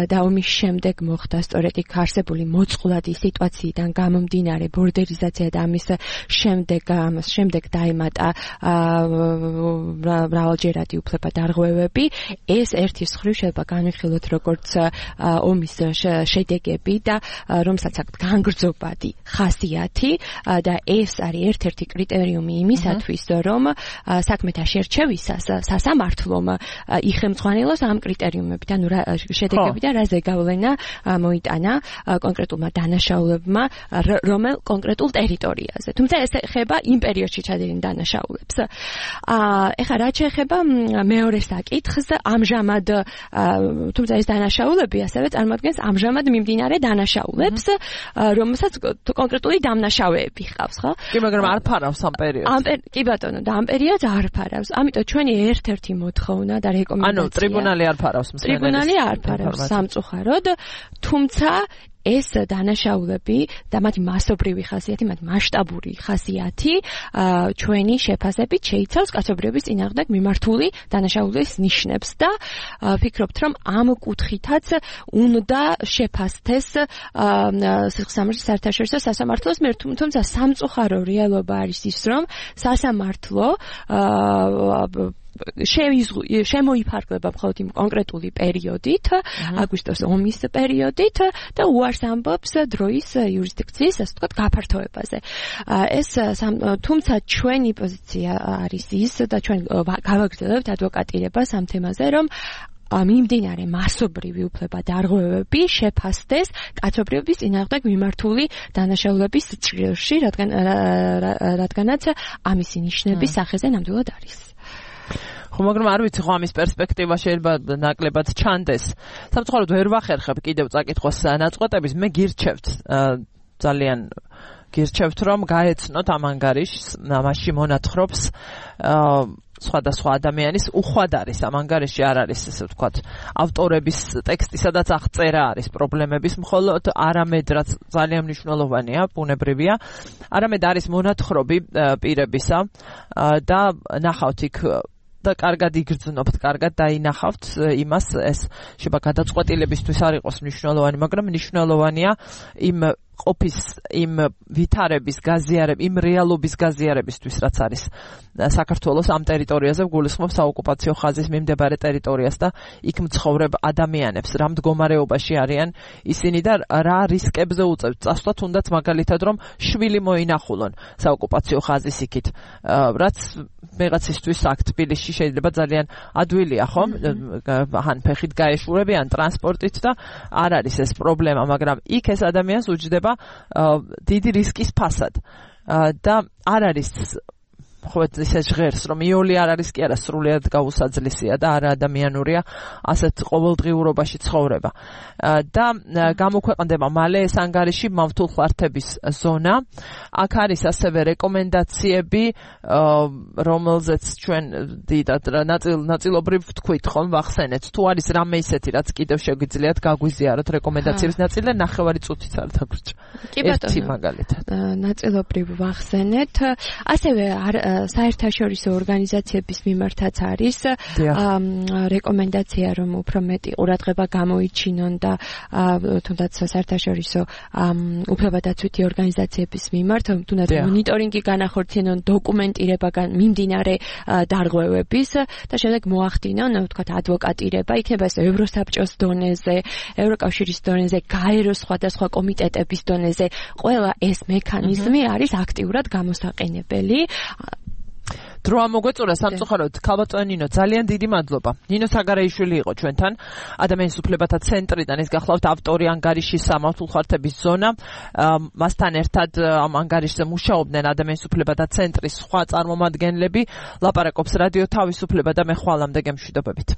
და ომის შემდეგ მოხდა სწორედ იქ არსებული მოწყვლადი სიტუაციიდან გამომდინარე ბორდერიზაცია და ამის შემდეგ დაემატა მრავალჯერადი უფლებადარღვევები, ეს ერთი მხრივ შეიძლება განვიხილოთ როგორც ომის შედეგები და რომელსაც აქვს განგრძობადი ხასიათი და ეს არის ერთ-ერთი კრიტერიუმი იმისათვის, რომ საქმეთა შერჩევისას სასამართლომ იხელმძღვანელოს ამ კრიტერიუმებით, ანუ შედეგები და რა ზეგავლენა მოიტანა კონკრეტულმა დანაშაულებმა რომელ კონკრეტულ ტერიტორიაზე. თუმცა ეს ეხება იმ პერიოდში ჩადენილ დანაშაულებს. ეხლა რაც შეეხება მეორე საკითხს, ამჟამად თუმცა ეს დანაშაულები ასევე წარმოადგენს ამჟამად მიმდინარე დანაშაულებს, რომელსაც კონკრეტული დამნაშავეები ჰყავს, ხო? კი, მაგრამ არ ფარავს ამ პერიოდს. კი ბატონო, და ამ პერიოდს არ ფარავს. ამიტომ ჩვენი ერთ-ერთი მოთხოვნა და რეკომენდაცია. ანუ ტრიბუნალი არ ფარავს მსმენელის. ტრიბუნალი არ ფარავს სამწუხაროდ, თუმცა ეს დანაშაულები და მათი მასობრივი ხასიათი, მათი მასშტაბური ხასიათი ჩვენი შეფასებით შეიცავს კაცობრიობის წინააღმდეგ მიმართული დანაშაულის ნიშნებს და ვფიქრობთ, რომ ამ კუთხითაც უნდა შეფასდეს სისხლის სამართლის საერთაშორისო სასამართლოს მიერ, თუმცა სამწუხარო რეალობა არის ის, რომ სასამართლო შემოიფარგლება მხოლოდ იმ კონკრეტული პერიოდით, აგვისტოს ომის პერიოდით და უარს ამბობს დროის იურისდიქციის, ასე ვთქვათ, გაფართოებაზე. თუმცა ჩვენი პოზიცია არის ის და ჩვენ გავაგრძელებთ ადვოკატირებას ამ თემაზე, რომ მიმდინარე მასობრივი უფლება დარღვევები შეფასდეს კაცობრიობის წინააღმდეგ მიმართული დანაშაულების ჭრილში, რადგანაც ამისი ნიშნების სახეზე ნამდვილად არის. ხო, მაგრამ არ ვიცი, ხო ამის პერსპექტივა შეიძლება ნაკლებად ჩანდეს. სამწუხაროდ ვერ ვახერხებ კიდევ წაკითხოს ნაწყვეტების, მე გირჩევთ ძალიან გირჩევთ რომ გაეცნოთ ამ ანგარიშს, მასში მონათხრობს სხვადასხვა ადამიანის უხვად არის ამ ანგარიში არ არის ესე ვთქვათ ავტორების ტექსტი სადაც აღწერა არის პრობლემების მხოლოდ არამედ რაც ძალიან მნიშვნელოვანია ბუნებრივია არამედ არის მონათხრობი პირებისა და ნახავთ იქ და კარგად იგრძნობთ, კარგად დაინახავთ იმას ეს შეიძლება გადაწყვეტილებისთვის არ იყოს მნიშვნელოვანი, მაგრამ მნიშვნელოვანია იმ ყოფის იმ ვითარების გაზიარების, იმ რეალობის გაზიარებისთვის, რაც არის საქართველოს ამ ტერიტორიაზე გულისხმობს საოკუპაციო ხაზის მიმდებარე ტერიტორიას და იქ მცხოვრებ ადამიანებს, რა მდგომარეობაში არიან ისინი და რა რისკებზე უწევთ წასვლა, თუნდაც მაგალითად რომ შვილი მოინახულონ საოკუპაციო ხაზის იქით, რაც მეღაცისთვის აქ თბილისში შეიძლება ძალიან ადვილია, ხო? ან ფეხით გაეშურებიან ტრანსპორტით და არ არის ეს პრობლემა, მაგრამ იქ ეს ადამიანს უჯდება დიდი რისკის ფასად და არ არის ხო ესე ჟღერს რომ იოლი არ არის კი არა სრულიად გაუსაძლისია და არა ადამიანურია ასეთ ყოველდღიურობაში ცხოვრება და გამოქვეყნდება მალე ეს ანგარიში მავთულ ხართების ზონა აქ არის ასევე რეკომენდაციები რომელზეც ჩვენ დიდად ნაწილობრივ ვთქვით ხომ ვახსენეთ თუ არის რამე ისეთი რაც კიდევ შეგვიძლიათ გაგვიზიაროთ რეკომენდაციების ნაწილი და ნახევარი წუთიც არ დაგვრჩა ერთი მაგალითად ნაწილობრივ ვახსენეთ ასევე საერთაშორისო ორგანიზაციების მიმართაც არის რეკომენდაცია რომ უფრო მეტი ყურადღება გამოიჩინონ და თუნდაც საერთაშორისო უფლებადაცვითი ორგანიზაციების მიმართ თუნდაც მონიტორინგი განახორციელონ დოკუმენტირება მიმდინარე დარღვევების და შემდეგ მოახდინონ ვთქვათ ადვოკატირება იქნება ეს ევროსაბჭოს დონეზე ევროკავშირის დონეზე გაეროს სხვადასხვა კომიტეტების დონეზე ყველა ეს მექანიზმი არის აქტიურად გამოსაყენებელი დრო ამოგვეწურა სამწუხაროდ ქალბატონო ნინო ძალიან დიდი მადლობა ნინო საგარეიშვილი იყო ჩვენთან ადამიანის უფლებათა ცენტრიდან ის გახლავთ ავტორი ანგარიშის სამავთულ ხართების ზონა მასთან ერთად ამ ანგარიშზე მუშაობდნენ ადამიანის უფლებათა ცენტრის სხვა წარმომადგენლები ლაპარაკობს რადიო თავისუფლება და მე ხვალამდე გემშვიდობებით